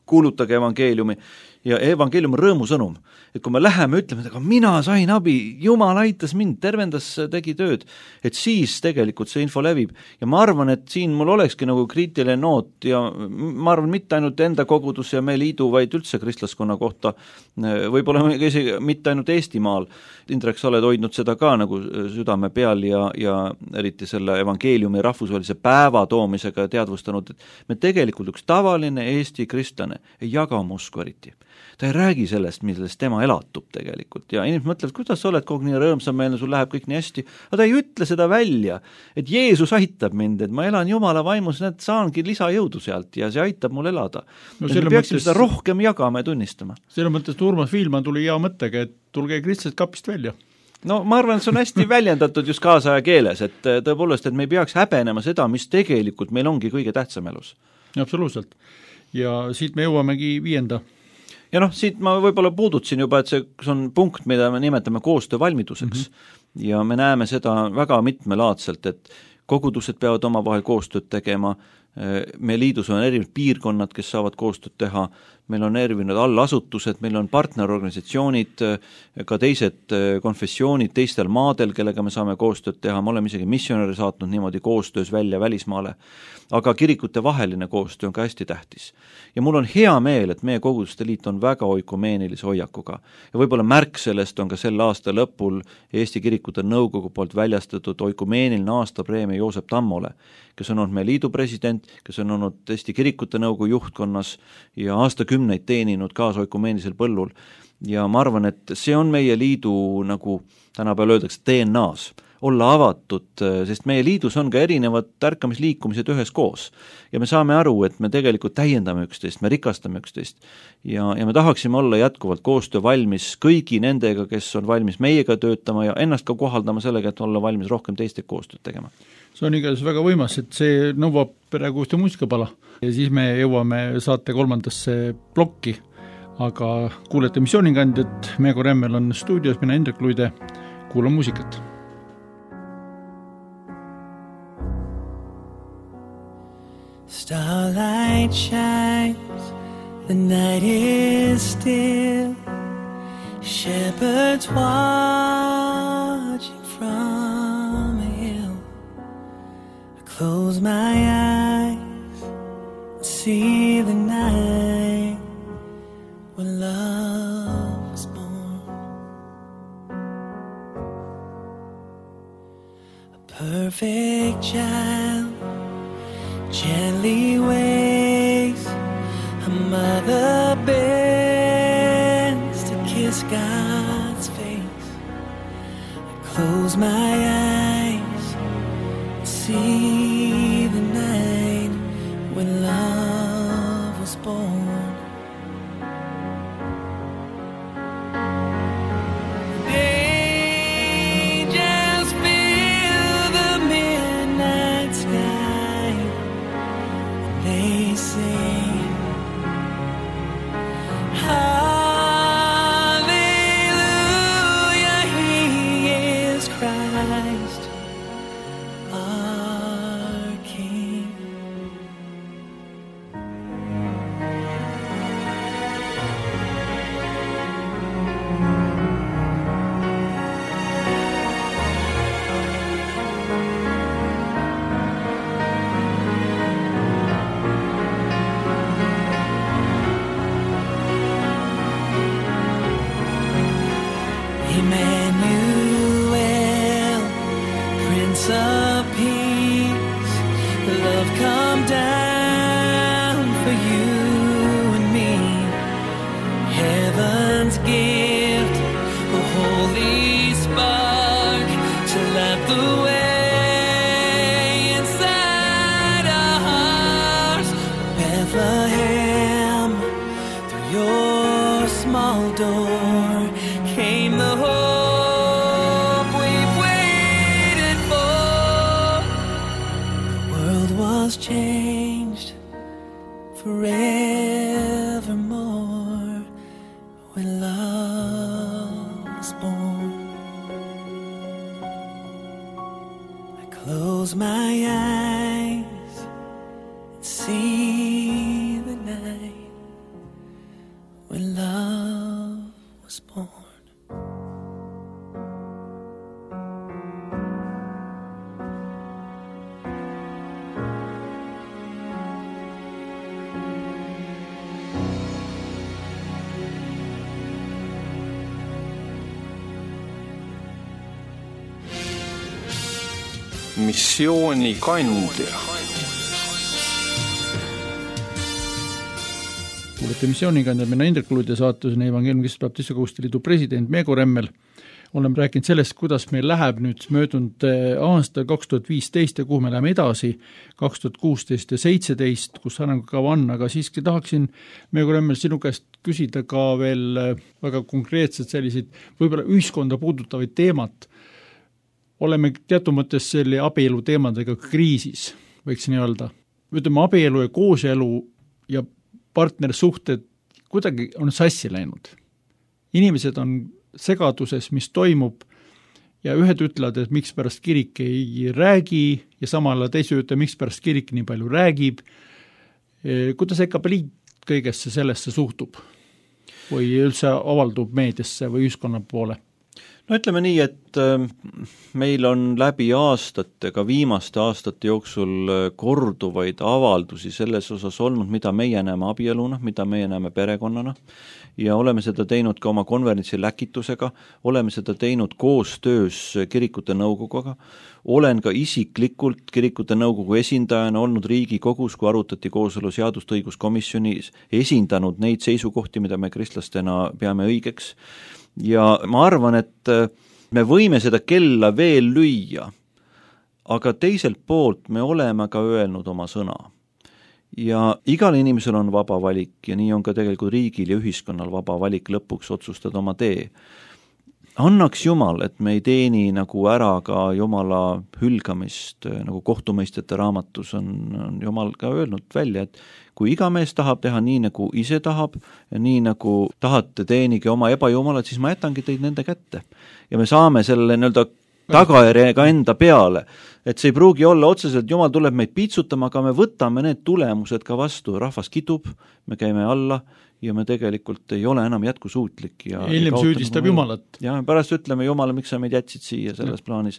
kuulutage evangeeliumi, ja evangeelium on rõõmusõnum, et kui me läheme ütleme, et aga mina sain abi, Jumal aitas mind, tervendas, tegi tööd, et siis tegelikult see info levib. Ja ma arvan, et siin mul olekski nagu kriitiline noot ja ma arvan mitte ainult enda kogudus ja me liidu, vaid üldse kristlaskonna kohta, võib-olla isegi mitte ainult Eestimaal. Indrek, sa oled hoidnud seda ka nagu südame peal ja, ja eriti selle evangeeliumi rahvusvahelise päeva toomisega teadvustanud, et me tegelikult üks tavaline Eesti kristlane ei jaga oma usku eriti. Ta ei räägi sellest, millest tema elatub tegelikult ja inimesed mõtlevad, kuidas sa oled kogu nii rõõmsameelne, sul läheb kõik nii hästi, aga ta ei ütle seda välja, et Jeesus aitab mind, et ma elan Jumala vaimus, need saangi lisajõudu sealt ja see aitab mul elada. No, me peaksime mõttes, seda rohkem jagama ja tunnistama. Selle mõttes Urmas Viilmann tuli hea mõttega, et tulge kristlased kapist välja. No ma arvan, et see on hästi väljendatud just kaasaja keeles, et tõepoolest, et me ei peaks häbenema seda, mis tegelikult meil ongi kõige tähtsam elus. Absoluutselt. Ja siit me jõuamegi viienda. Ja noh, siit ma võib-olla puudutsin juba, et see on punkt, mida me nimetame koostöövalmiduseks mm-hmm. ja me näeme seda väga mitmelaadselt, et kogudused peavad omavahel koostööd tegema, me liidus on erinevad piirkonnad, kes saavad koostööd teha, meil on erinevad allasutused, meil on partnerorganisatsioonid, ka teised konfessioonid teistel maadel, kellega me saame koostööd teha, me oleme isegi missionäri saatnud niimoodi koostöös välja välismaale, aga kirikute vaheline koostöö on ka hästi tähtis. Ja mul on hea meel, et meie koguduste liit on väga oikumeenilise hoiakuga ja võib-olla märk sellest on ka sel aasta lõpul Eesti kirikute nõukogu poolt väljastatud oikumeeniline aastapreemia Joosep Tammole, kes on olnud meie liidu president, kes on olnud Eesti kirikute nõukogu juhtkonnas ja aastakümneid teeninud kaasoikumeenilisel põllul. Ja ma arvan, et see on meie liidu, nagu tänapäeval öeldakse, D N A-s, olla avatud, sest meie liidus on ka erinevad tärkamisliikumised ühes koos. Ja me saame aru, et me tegelikult täiendame üksteist, me rikastame üksteist. Ja, ja me tahaksime olla jätkuvalt koostöö valmis kõigi nendega, kes on valmis meiega töötama ja ennast ka kohaldama sellega, et olla valmis rohkem teiste koostööd tegema. See on igatahes väga võimas, et see nõuab praegu ühte muusikapala ja siis me jõuame saate kolmandasse plokki, aga kuulete missioonikandjat, Meego Remmel on stuudios, mina Indrek Luide, kuulan muusikat. Starlight shines, the night is still, shepherds watching from a hill. I close my eyes, see the night when love was born. A perfect child gently waves, a mother bends to kiss God's face. I close my eyes, see the night when love was born. Forevermore when love was missioonikandja. Kuulete missiooniga, mina Indrek Kulud ja saatus on Evangeeliumi Kristlaste Baptiste Koguduste Liidu president Meego Remmel. Oleme rääkinud sellest, kuidas meil läheb nüüd möödunud aasta kaks tuhat viisteist ja kuhu me läheme edasi, kaks tuhat kuusteist ja seitseteist, kus arengukava on, aga siiski tahaksin Meego Remmel sinu käest küsida ka veel väga konkreetselt selliseid võib-olla ühiskonda puudutavaid teemat. Oleme teatud mõttes selle abielu teemadega kriisis, võiks nii öelda. Ütleme, abielu ja kooselu ja partnersuhted kuidagi on sassi läinud. Inimesed on segaduses, mis toimub ja ühed ütlevad, et miks pärast kirik ei räägi ja samal teise ütle, miks pärast kirik nii palju räägib. Kuidas ekapeliit kõigesse sellesse suhtub või üldse avaldub meediasse või ühiskonna poole? No ütleme nii, et meil on läbi aastate, ka viimaste aastate jooksul korduvaid avaldusi selles osas olnud, mida meie näeme abieluna, mida meie näeme perekonnana ja oleme seda teinud ka oma konverentsi läkitusega, oleme seda teinud koostöös kirikute nõukoguga, olen ka isiklikult kirikute nõukogu esindajana olnud Riigikogus, kui arutati kooseluseadust õiguskomisjonis, esindanud neid seisukohti, mida me kristlastena peame õigeks. Ja ma arvan, et me võime seda kella veel lüüa, aga teiselt poolt me oleme ka öelnud oma sõna. Ja igal inimesel on vaba valik ja nii on ka tegelikult riigil ja ühiskonnal vaba valik lõpuks otsustada oma tee. Annaks Jumal, et me ei teeni nagu ära ka Jumala hülgamist, nagu kohtumõistjate raamatus on, on Jumal ka öelnud välja, et kui iga mees tahab teha nii, nagu ise tahab ja nii, nagu tahate teenige oma ebajumalat, siis ma jätangi teid nende kätte. Ja me saame selle nii-öelda tagajärjega enda peale, et see ei pruugi olla otseselt, Jumal tuleb meid piitsutama, aga me võtame need tulemused ka vastu, rahvas kitub, me käime alla ja me tegelikult ei ole enam jätkusuutlik. Ja hiljem süüdistab Jumalat. Ja pärast ütleme Jumala, miks sa meid jätsid siia selles ja. Plaanis.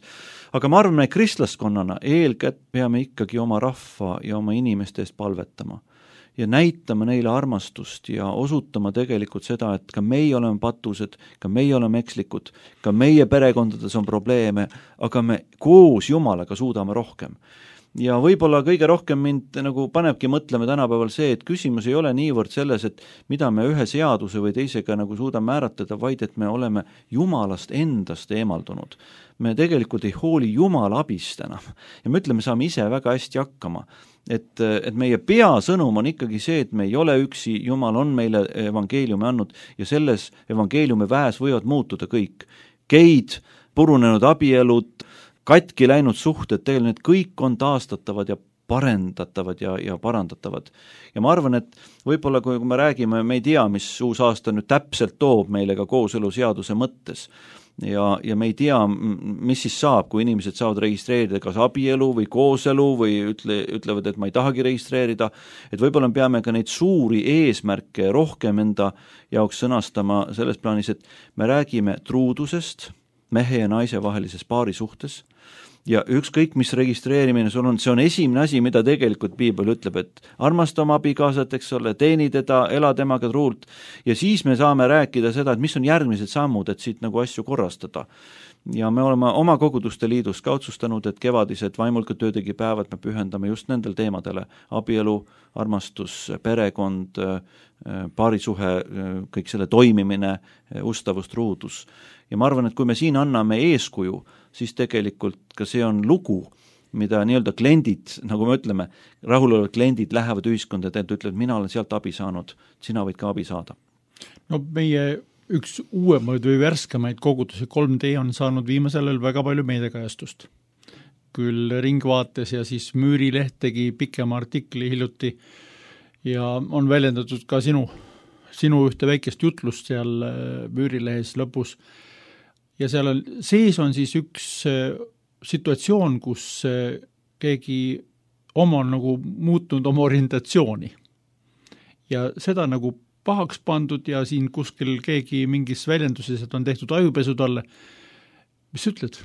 Aga ma arvan, et kristlaskonnana eelkätt peame ikkagi oma rahva ja oma inimeste eest palvetama ja näitama neile armastust ja osutama tegelikult seda, et ka meie oleme patused, ka meie oleme ekslikud, ka meie perekondades on probleeme, aga me koos Jumalaga suudame rohkem. Ja võib-olla kõige rohkem mind nagu panebki mõtlema tänapäeval see, et küsimus ei ole niivõrd selles, et mida me ühe seaduse või teisega nagu suudame määratleda, vaid et me oleme Jumalast endast eemaldunud. Me tegelikult ei hooli Jumala abist enam ja me ütleme, saame ise väga hästi hakkama. Et, et meie peasõnum on ikkagi see, et me ei ole üksi, Jumal on meile evangeeliumi andnud ja selles evangeeliumi väes võivad muutuda kõik. Geid, purunenud abielud, katki läinud suhted, tegelikult need kõik on taastatavad ja parendatavad ja, ja parandatavad. Ja ma arvan, et võib-olla kui me räägime, me ei tea, mis uus aasta nüüd täpselt toob meile ka kooseluseaduse mõttes ja, ja me ei tea, mis siis saab, kui inimesed saavad registreerida kas abielu või kooselu või ütle, ütlevad, et ma ei tahagi registreerida, et võib-olla peame ka neid suuri eesmärke rohkem enda jaoks sõnastama selles plaanis, et me räägime truudusest, mehe ja naise vahelises paari suhtes ja ükskõik, mis registreerimine sul on, see on esimene asi, mida tegelikult Piibel ütleb, et armasta oma abikaasat, eks ole, teeni teda, ela temaga truult ja siis me saame rääkida seda, et mis on järgmised sammud, et siit nagu asju korrastada. Ja me oleme oma koguduste liidus ka otsustanud, et kevadised vaimulka töötegi päevad me pühendame just nendel teemadele, abielu, armastus, perekond, paarisuhe, kõik selle toimimine, ustavus, truudus. Ja ma arvan, et kui me siin anname eeskuju, siis tegelikult ka see on lugu, mida nii-öelda kliendid, nagu me ütleme, rahulolevad kliendid lähevad ühiskonda ja ütlevad, mina olen sealt abi saanud, sina võid ka abi saada. No meie üks uuemaid või värskemaid kogudusi kolm D on saanud viimasel ajal väga palju meediakajastust. Küll Ringvaates ja siis Müürileht tegi pikema artikli hiljuti ja on väljendatud ka sinu, sinu ühte väikest jutlust seal Müürilehes lõpus. Ja seal on, sees on siis üks situatsioon, kus keegi oma on nagu muutnud oma orientatsiooni. Ja seda nagu pahaks pandud ja siin kuskil keegi mingis väljenduses, et on tehtud ajupesu talle. Mis ütled?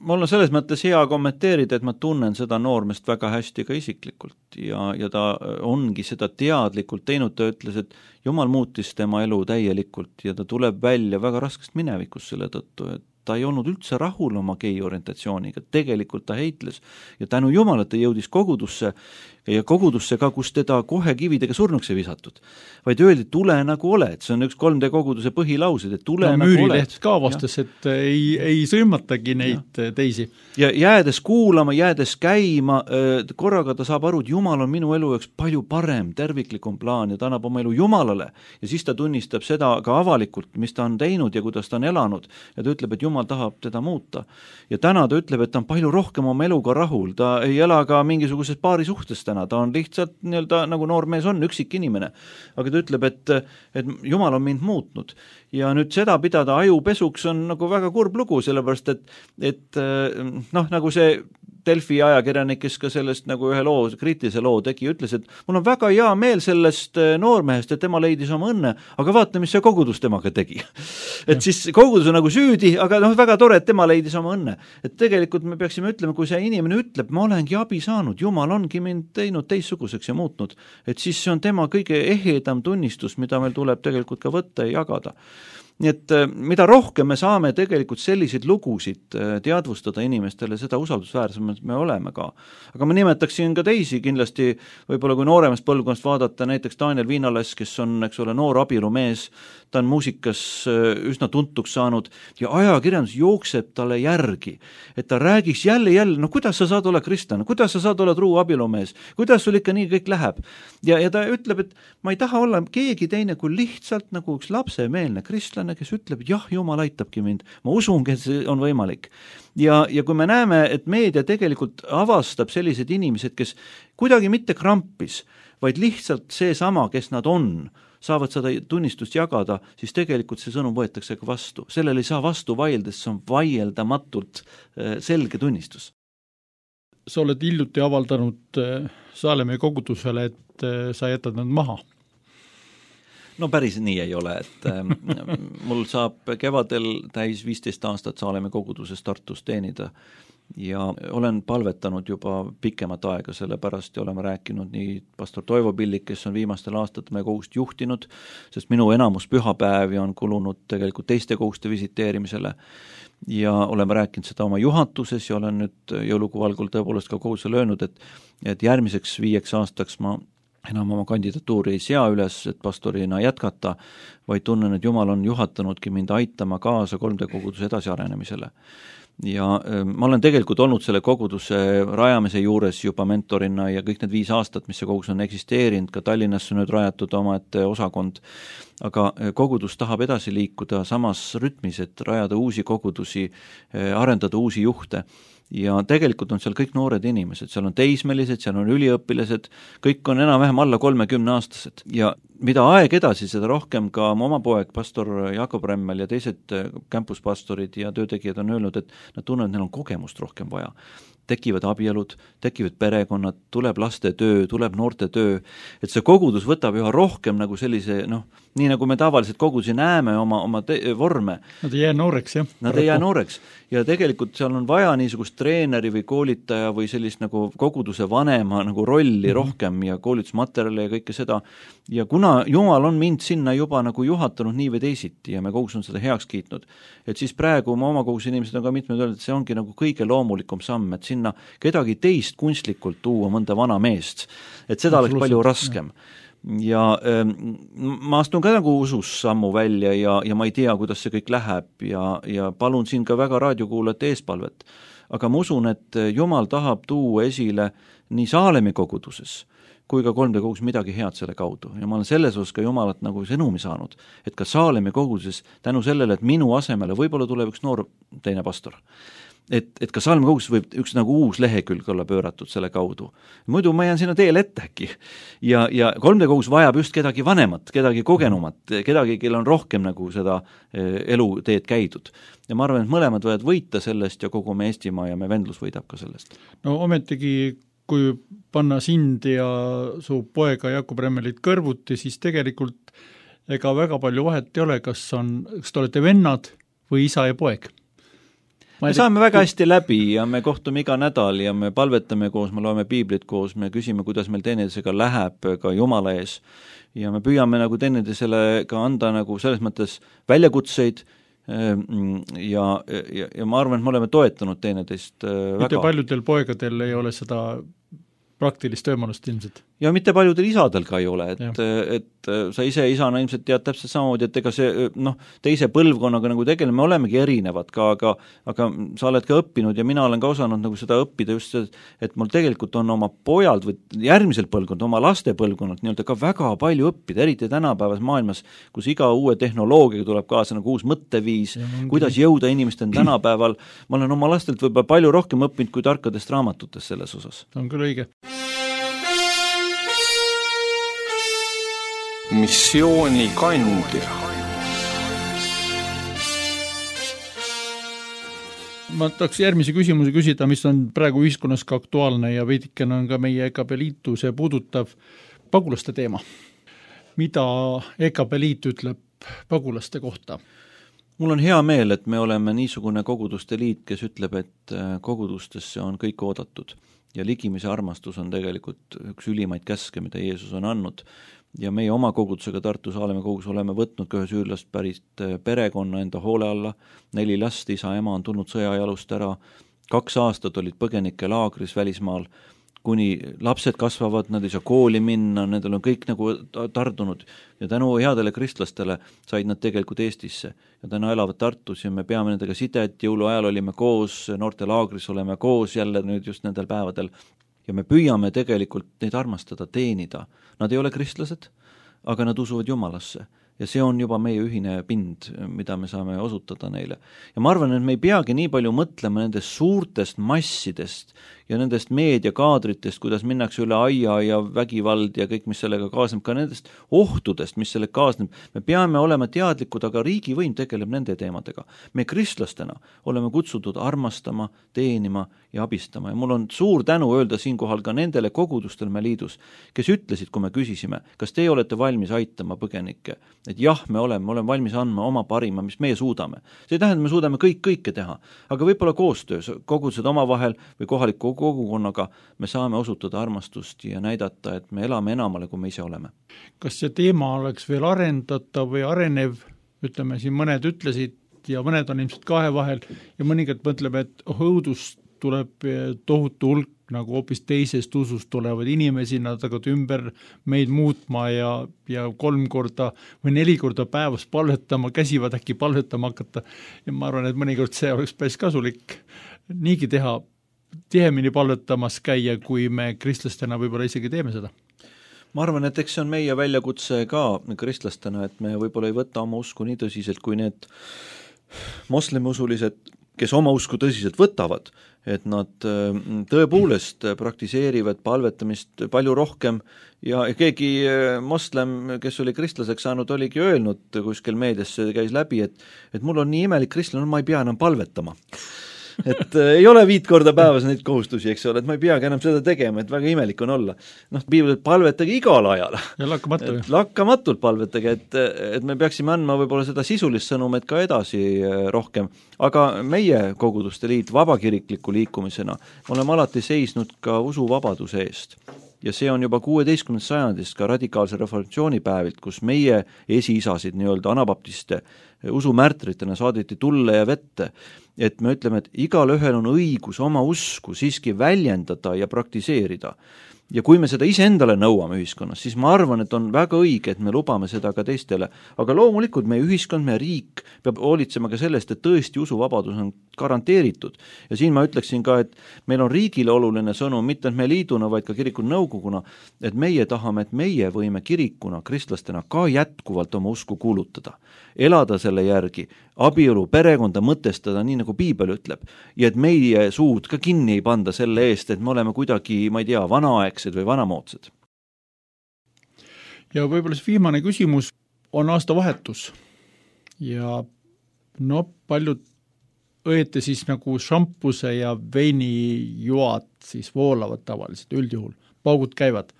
Mul on selles mõttes hea kommenteerida, et ma tunnen seda noormest väga hästi ka isiklikult ja, ja ta ongi seda teadlikult teinud, ta ütles, et Jumal muutis tema elu täielikult ja ta tuleb välja väga raskest minevikust selle tõttu, et ta ei olnud üldse rahul oma gei-orientatsiooniga, tegelikult ta heitles ja tänu Jumalat ta jõudis kogudusse ja kogudusse ka, kus teda kohe kividega surnuks ei visatud, vaid öeldi, tule nagu oled, see on üks kolm D koguduse põhilaused, et tule no, nagu oled. Müürileht ka vastas, ja. et ei, ei sõimatagi neid ja. teisi. Ja jäädes kuulama, jäädes käima, korraga ta saab aru, et Jumal on minu elu jaoks palju parem, terviklikum plaan ja ta annab oma elu Jumalale ja siis ta tunnistab seda ka avalikult, mis ta on teinud ja kuidas ta on elanud ja ta ütleb, et Jumal tahab teda muuta. Ja täna ta ütleb, et ta on palju rohkem oma eluga rahul, ta ei ela ka mingisuguses paari suhtes täna, ta on lihtsalt nii-öelda nagu noor mees on, üksik inimene. Aga ta ütleb, et, et Jumal on mind muutnud. Ja nüüd seda pidada ajupesuks on nagu väga kurb lugu, sellepärast et, et noh, nagu see Delfi ajakirjanik, kes ka sellest nagu ühe loo, kriitilise loo tegi, ütles, et mul on väga hea meel sellest noormehest, et tema leidis oma õnne, aga vaata, mis see kogudus temaga tegi. et siis kogudus on nagu süüdi, aga noh, väga tore, et tema leidis oma õnne. Et tegelikult me peaksime ütlema, kui see inimene ütleb, ma olengi abi saanud, Jumal ongi mind teinud teistsuguseks ja muutnud, et siis see on tema kõige ehedam tunnistus, mida meil tuleb tegelikult ka võtta ja jagada. Nii et mida rohkem me saame tegelikult selliseid lugusid teadvustada inimestele, seda usaldusväärsemad me oleme ka. Aga ma nimetaksin ka teisi kindlasti, võib-olla kui nooremast põlvkonnast vaadata, näiteks Daniel Viinalas, kes on, eks ole, noor abielumees, ta on muusikas üsna tuntuks saanud ja ajakirjandus jookseb talle järgi, et ta räägiks jälle jälle, no kuidas sa saad olla kristlane, kuidas sa saad olla truu abielumees, kuidas sul ikka nii kõik läheb. Ja, ja ta ütleb, et ma ei taha olla keegi teine kui lihtsalt nagu üks lapsemeelne kristlane, kes ütleb, et jah, Jumal aitabki mind, ma usungi, et see on võimalik. Ja, ja kui me näeme, et meedia tegelikult avastab sellised inimesed, kes kuidagi mitte krampis, vaid lihtsalt see sama, kes nad on, saavad seda tunnistust jagada, siis tegelikult see sõnum võetakse ka vastu. Sellel ei saa vastu vaieldes, see on vaieldamatult selge tunnistus. Sa oled hiljuti avaldanud Saalemäe kogudusele, et sa jätad nad maha. No päris nii ei ole, et äh, mul saab kevadel täis viisteist aastat Saalemäe koguduses Tartus teenida ja olen palvetanud juba pikemat aega selle pärast ja oleme rääkinud nii pastor Toivo Pillik, kes on viimastel aastatel meie kogust juhtinud, sest minu enamus pühapäevi on kulunud tegelikult teiste koguste visiteerimisele ja oleme rääkinud seda oma juhatuses ja olen nüüd jõulukuu algul tõepoolest ka kogusele öelnud, et, et järgmiseks viieks aastaks ma enam oma kandidatuuri ei sea üles, et pastorina jätkata, vaid tunnen, et Jumal on juhatanudki mind aitama kaasa kolm D koguduse edasiarenemisele. Ja ma olen tegelikult olnud selle koguduse rajamise juures juba mentorina ja kõik need viis aastat, mis see kogudus on eksisteerinud, ka Tallinnas on nüüd rajatud omaette osakond, aga kogudus tahab edasi liikuda samas rütmis, et rajada uusi kogudusi, arendada uusi juhte. Ja tegelikult on seal kõik noored inimesed, seal on teismelised, seal on üliõpilased, kõik on enam-vähem alla kolmekümne aastased ja mida aeg edasi, seda rohkem ka oma poeg, pastor Jakob Remmel ja teised campuspastorid ja töötegijad on öelnud, et nad tunnevad, et neil on kogemust rohkem vaja. Tekivad abielud, tekivad perekonnad, tuleb laste töö, tuleb noorte töö, et see kogudus võtab üha rohkem nagu sellise, noh, nii nagu me tavaliselt kogudusi näeme oma, oma te- vorme. Nad ei jää nooreks, jah. Nad ei jää nooreks ja tegelikult seal on vaja niisugust treeneri või koolitaja või sellist nagu koguduse vanema nagu rolli mm-hmm. rohkem ja koolitusmaterjale ja kõike seda. Ja kuna Jumal on mind sinna juba nagu juhatanud nii või teisiti ja me kogus on seda heaks kiitnud, et siis praegu ma oma kogus inimesed on ka mitmed öelnud, et see ongi nagu kõige loomulikum samm, et sinna kedagi teist kunstlikult tuua mõnda vana meest, et seda oleks palju raskem. Ja ähm, ma astun ka nagu usus sammu välja ja, ja ma ei tea, kuidas see kõik läheb ja, ja palun siin ka väga raadiokuulajate eespalvet. Aga ma usun, et Jumal tahab tuua esile nii Saalemäe koguduses kui ka kolm D kogus midagi head selle kaudu. Ja ma olen selles osas ka Jumalat nagu sõnumi saanud, et ka Saalemäe koguduses tänu sellele, et minu asemele võib-olla tuleb üks noor teine pastor. Et, et ka Saalemäe koguduses võib üks nagu uus lehekülg olla pööratud selle kaudu. Muidu ma jään sinna teele ette äkki. Ja, ja kolm D kogus vajab just kedagi vanemat, kedagi kogenumat, kedagi, kel on rohkem nagu seda eluteed käidud. Ja ma arvan, et mõlemad võivad võita sellest ja kogu me Eestimaa ja me vendlus võidab ka sellest. No ometigi kui panna sind ja su poega Jakob Remmelit kõrvuti, siis tegelikult ega väga palju vahet ei ole, kas on, kas te olete vennad või isa ja poeg. Me saame väga hästi läbi ja me kohtume iga nädal ja me palvetame koos, me loeme piiblit koos, me küsime, kuidas meil teineteisega läheb ka Jumala ees ja me püüame nagu teineteisele ka anda nagu selles mõttes väljakutseid ja, ja, ja ma arvan, et me oleme toetanud teineteist väga. Mitte paljudel poegadel ei ole seda praktilist võimalust ilmselt. Ja mitte paljudel isadel ka ei ole, et, et sa ise isana ilmselt tead täpselt samamoodi, et ega see noh, teise põlvkonnaga nagu tegeleme, me olemegi erinevad ka, aga, aga sa oled ka õppinud ja mina olen ka osanud nagu seda õppida just see, et mul tegelikult on oma pojald või järgmisel põlvkond, oma laste põlvkonnalt nii-öelda ka väga palju õppida, eriti tänapäevas maailmas, kus iga uue tehnoloogiaga tuleb kaasa nagu uus mõtteviis, kuidas jõuda inimesteni tänapäeval. Ma olen oma lastelt võib-olla palju rohkem õppinud kui tarkadest raamatutest selles osas. On küll õige. Missioonikandja. Ma tahaks järgmise küsimuse küsida, mis on praegu ühiskonnas ka aktuaalne ja veidikene on ka meie E K P liitu see puudutav pagulaste teema. Mida E K P liit ütleb pagulaste kohta? Mul on hea meel, et me oleme niisugune koguduste liit, kes ütleb, et kogudustesse on kõik oodatud ja ligimise armastus on tegelikult üks ülimaid käske, mida Jeesus on andnud. Ja meie oma kogudusega Tartu Saalemäe kogus oleme võtnud ka ühe süürlast pärit perekonna enda hoole alla, neli last, isa, ema on tulnud sõjajalust ära, kaks aastat olid põgenike laagris välismaal, kuni lapsed kasvavad, nad ei saa kooli minna, nendel on kõik nagu tardunud ja tänu headele kristlastele said nad tegelikult Eestisse ja täna elavad Tartus ja me peame nendega sidet, jõuluajal olime koos, noorte laagris oleme koos jälle nüüd just nendel päevadel ja me püüame tegelikult neid armastada, teenida. Nad ei ole kristlased, aga nad usuvad Jumalasse ja see on juba meie ühine pind, mida me saame osutada neile. Ja ma arvan, et me ei peagi nii palju mõtlema nendest suurtest massidest ja nendest meediakaadritest, kuidas minnakse üle aia ja vägivald ja kõik, mis sellega kaasneb, ka nendest ohtudest, mis sellega kaasneb. Me peame olema teadlikud, aga riigivõim tegeleb nende teemadega. Me kristlastena oleme kutsutud armastama, teenima ja abistama. Ja mul on suur tänu öelda siinkohal ka nendele kogudustel me liidus, kes ütlesid, kui me küsisime, kas teie olete valmis aitama põgenikke, et jah, me oleme, me oleme valmis andma oma parima, mis meie suudame. See ei tähenda, me suudame kõik kõike teha, aga võib-olla koostöös, kogudused omavahel või kohaliku kogukonnaga me saame osutada armastust ja näidata, et me elame enamale, kui me ise oleme. Kas see teema oleks veel arendatav või arenev, ütleme siin mõned ütlesid ja mõned on ilmselt kahe vahel ja mõningad mõtleme, et oh, õudust tuleb tohutu hulk nagu hoopis teisest usust tulevad inimesi, nad hakkavad ümber meid muutma ja, ja kolm korda või neli korda päevas palvetama, käsivad äkki palvetama hakata ja ma arvan, et mõnikord see oleks päris kasulik niigi teha, tihemini palvetamas käia, kui me kristlastena võib-olla isegi teeme seda. Ma arvan, et eks see on meie väljakutse ka kristlastena, et me võib-olla ei võta oma usku nii tõsiselt, kui need moslemiusulised, kes oma usku tõsiselt võtavad, et nad tõepoolest praktiseerivad palvetamist palju rohkem ja keegi moslem, kes oli kristlaseks saanud, oligi öelnud kuskil meediasse, käis läbi, et, et mul on nii imelik kristlane, ma ei pea enam palvetama. et äh, ei ole viit korda päevas neid kohustusi, eks ole, et ma ei peagi enam seda tegema, et väga imelik on olla. Noh, piibel, palvetage igal ajal. Ja lakkamatu. Lakkamatult palvetage, et, et me peaksime andma võib-olla seda sisulist sõnumit ka edasi rohkem. Aga meie koguduste liit vabakirikliku liikumisena oleme alati seisnud ka usuvabaduse eest. Ja see on juba kuueteistkümnendast sajandist ka radikaalse reformatsiooni päevilt, kus meie esiisasid nii-öelda anabaptiste usumärtritena saadeti tulle ja vette, et me ütleme, et igal ühel on õigus oma usku siiski väljendada ja praktiseerida. Ja kui me seda ise endale nõuame ühiskonnas, siis ma arvan, et on väga õige, et me lubame seda ka teistele. Aga loomulikult meie ühiskond, meie riik peab hoolitsema ka sellest, et tõesti usuvabadus on garanteeritud. Ja siin ma ütleksin ka, et meil on riigile oluline sõnum, mitte et me liiduna, vaid ka kirikun nõukoguna, et meie tahame, et meie võime kirikuna, kristlastena ka jätkuvalt oma usku kuulutada. Elada selle järgi, abielu, perekonda mõtestada, nii nagu piibel ütleb, ja et meie suud ka kinni ei panda selle eest, et me oleme kuidagi, ma ei tea, vanaaegsed või vanamoodsed. Ja võib-olla see viimane küsimus on aastavahetus ja no paljud õieti siis nagu šampuse ja veinijuad siis voolavad tavaliselt üldjuhul, paugud käivad.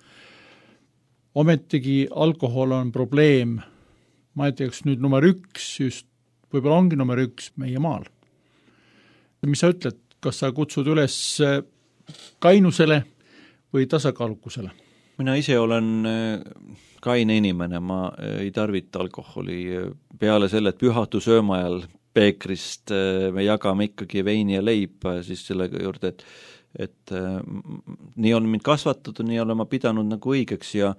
Ometigi alkohol on probleem, ma ei teaks nüüd number üks, just võib-olla ongi number üks meie maal. Mis sa ütled, kas sa kutsud üles kainusele või tasakaalukusele? Mina ise olen kaine inimene, ma ei tarvita alkoholi peale selle, et pühatu sööma ajal peekrist me jagame ikkagi veini ja leiba siis selle juurde, et et äh, nii on mind kasvatatud, nii olen ma pidanud nagu õigeks ja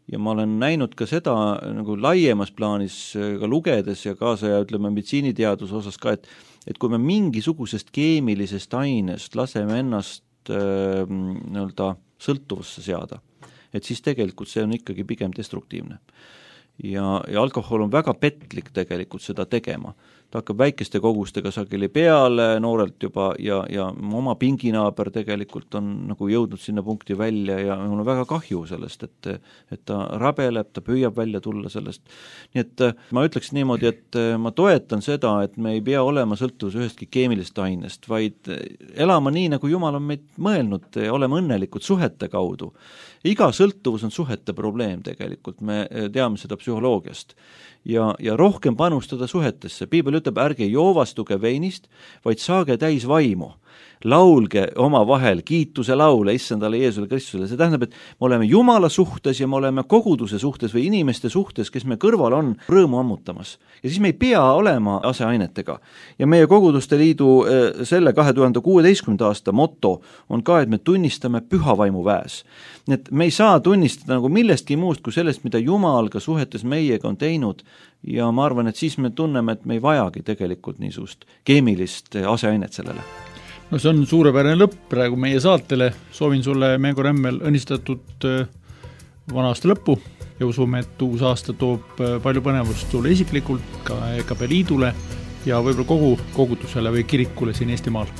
ja ma olen näinud ka seda nagu laiemas plaanis ka lugedes ja kaasa ja ütleme meditsiiniteaduse osas ka, et et kui me mingisugusest keemilisest ainest laseme ennast äh, nii-öelda sõltuvusse seada, et siis tegelikult see on ikkagi pigem destruktiivne. Ja, ja alkohol on väga petlik tegelikult seda tegema. Ta hakkab väikeste kogustega sageli peale noorelt juba ja, ja oma pinginaaber tegelikult on nagu jõudnud sinna punkti välja ja mul on väga kahju sellest, et, et ta rabeleb, ta püüab välja tulla sellest. Nii et ma ütleks niimoodi, et ma toetan seda, et me ei pea olema sõltuvus ühestki keemilist ainest, vaid elama nii, nagu Jumal on meid mõelnud, olema õnnelikud suhete kaudu. Iga sõltuvus on suhete probleem tegelikult, me teame seda psühholoogiast ja, ja rohkem panustada suhetesse. Piibel ütleb, ärge joovastuge veinist, vaid saage täis vaimu. Laulge oma vahel kiituse laule issandale Jeesule Kristusele. See tähendab, et me oleme Jumala suhtes ja me oleme koguduse suhtes või inimeste suhtes, kes me kõrval on rõõmu ammutamas. Ja siis me ei pea olema aseainetega. Ja meie koguduste liidu selle kahe tuhande kuueteistkümnenda aasta moto on ka, et me tunnistame püha vaimu väes. Nii et me ei saa tunnistada nagu millestki muust kui sellest, mida Jumal ka suhetes meiega on teinud ja ma arvan, et siis me tunneme, et me ei vajagi tegelikult niisugust keemilist aseainet sellele. No see on suurepärane lõpp praegu meie saatele. Soovin sulle, Meego Rämmel, õnnistatud vana aasta lõppu ja usume, et uus aasta toob palju põnevust sulle isiklikult, ka E K P liidule ja võib-olla kogu kogudusele või kirikule siin Eestimaal.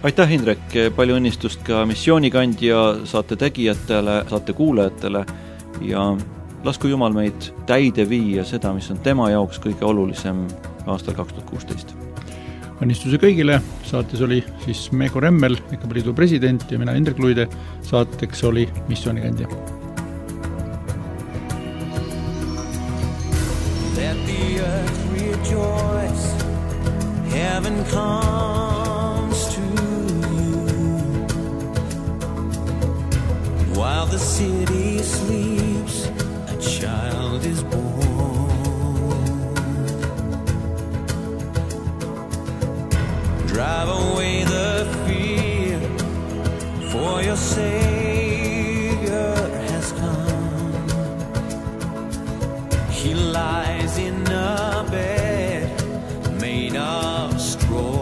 Aitäh, Indrek, palju õnnistust ka missioonikandja saate tegijatele, saate kuulajatele ja lasku Jumal meid täide viia seda, mis on tema jaoks kõige olulisem aastal kaks tuhat kuusteist. Õnnistuse kõigile, saates oli siis Meego Rämmel, E K P liidu president ja mina Indrek Luide, saateks oli missioonikandja. Let the earth rejoice, heaven comes to you, while the city sleeps, a child is born. Drive away the fear, for your Savior has come. He lies in a bed made of straw.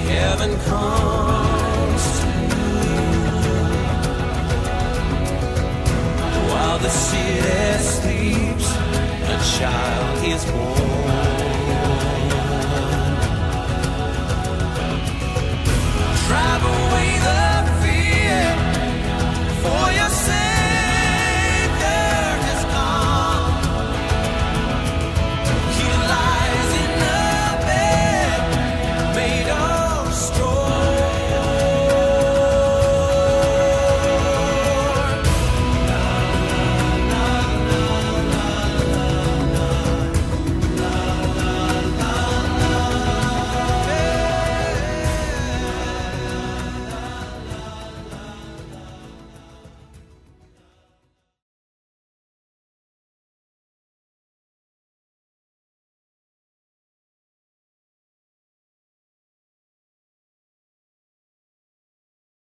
Heaven comes.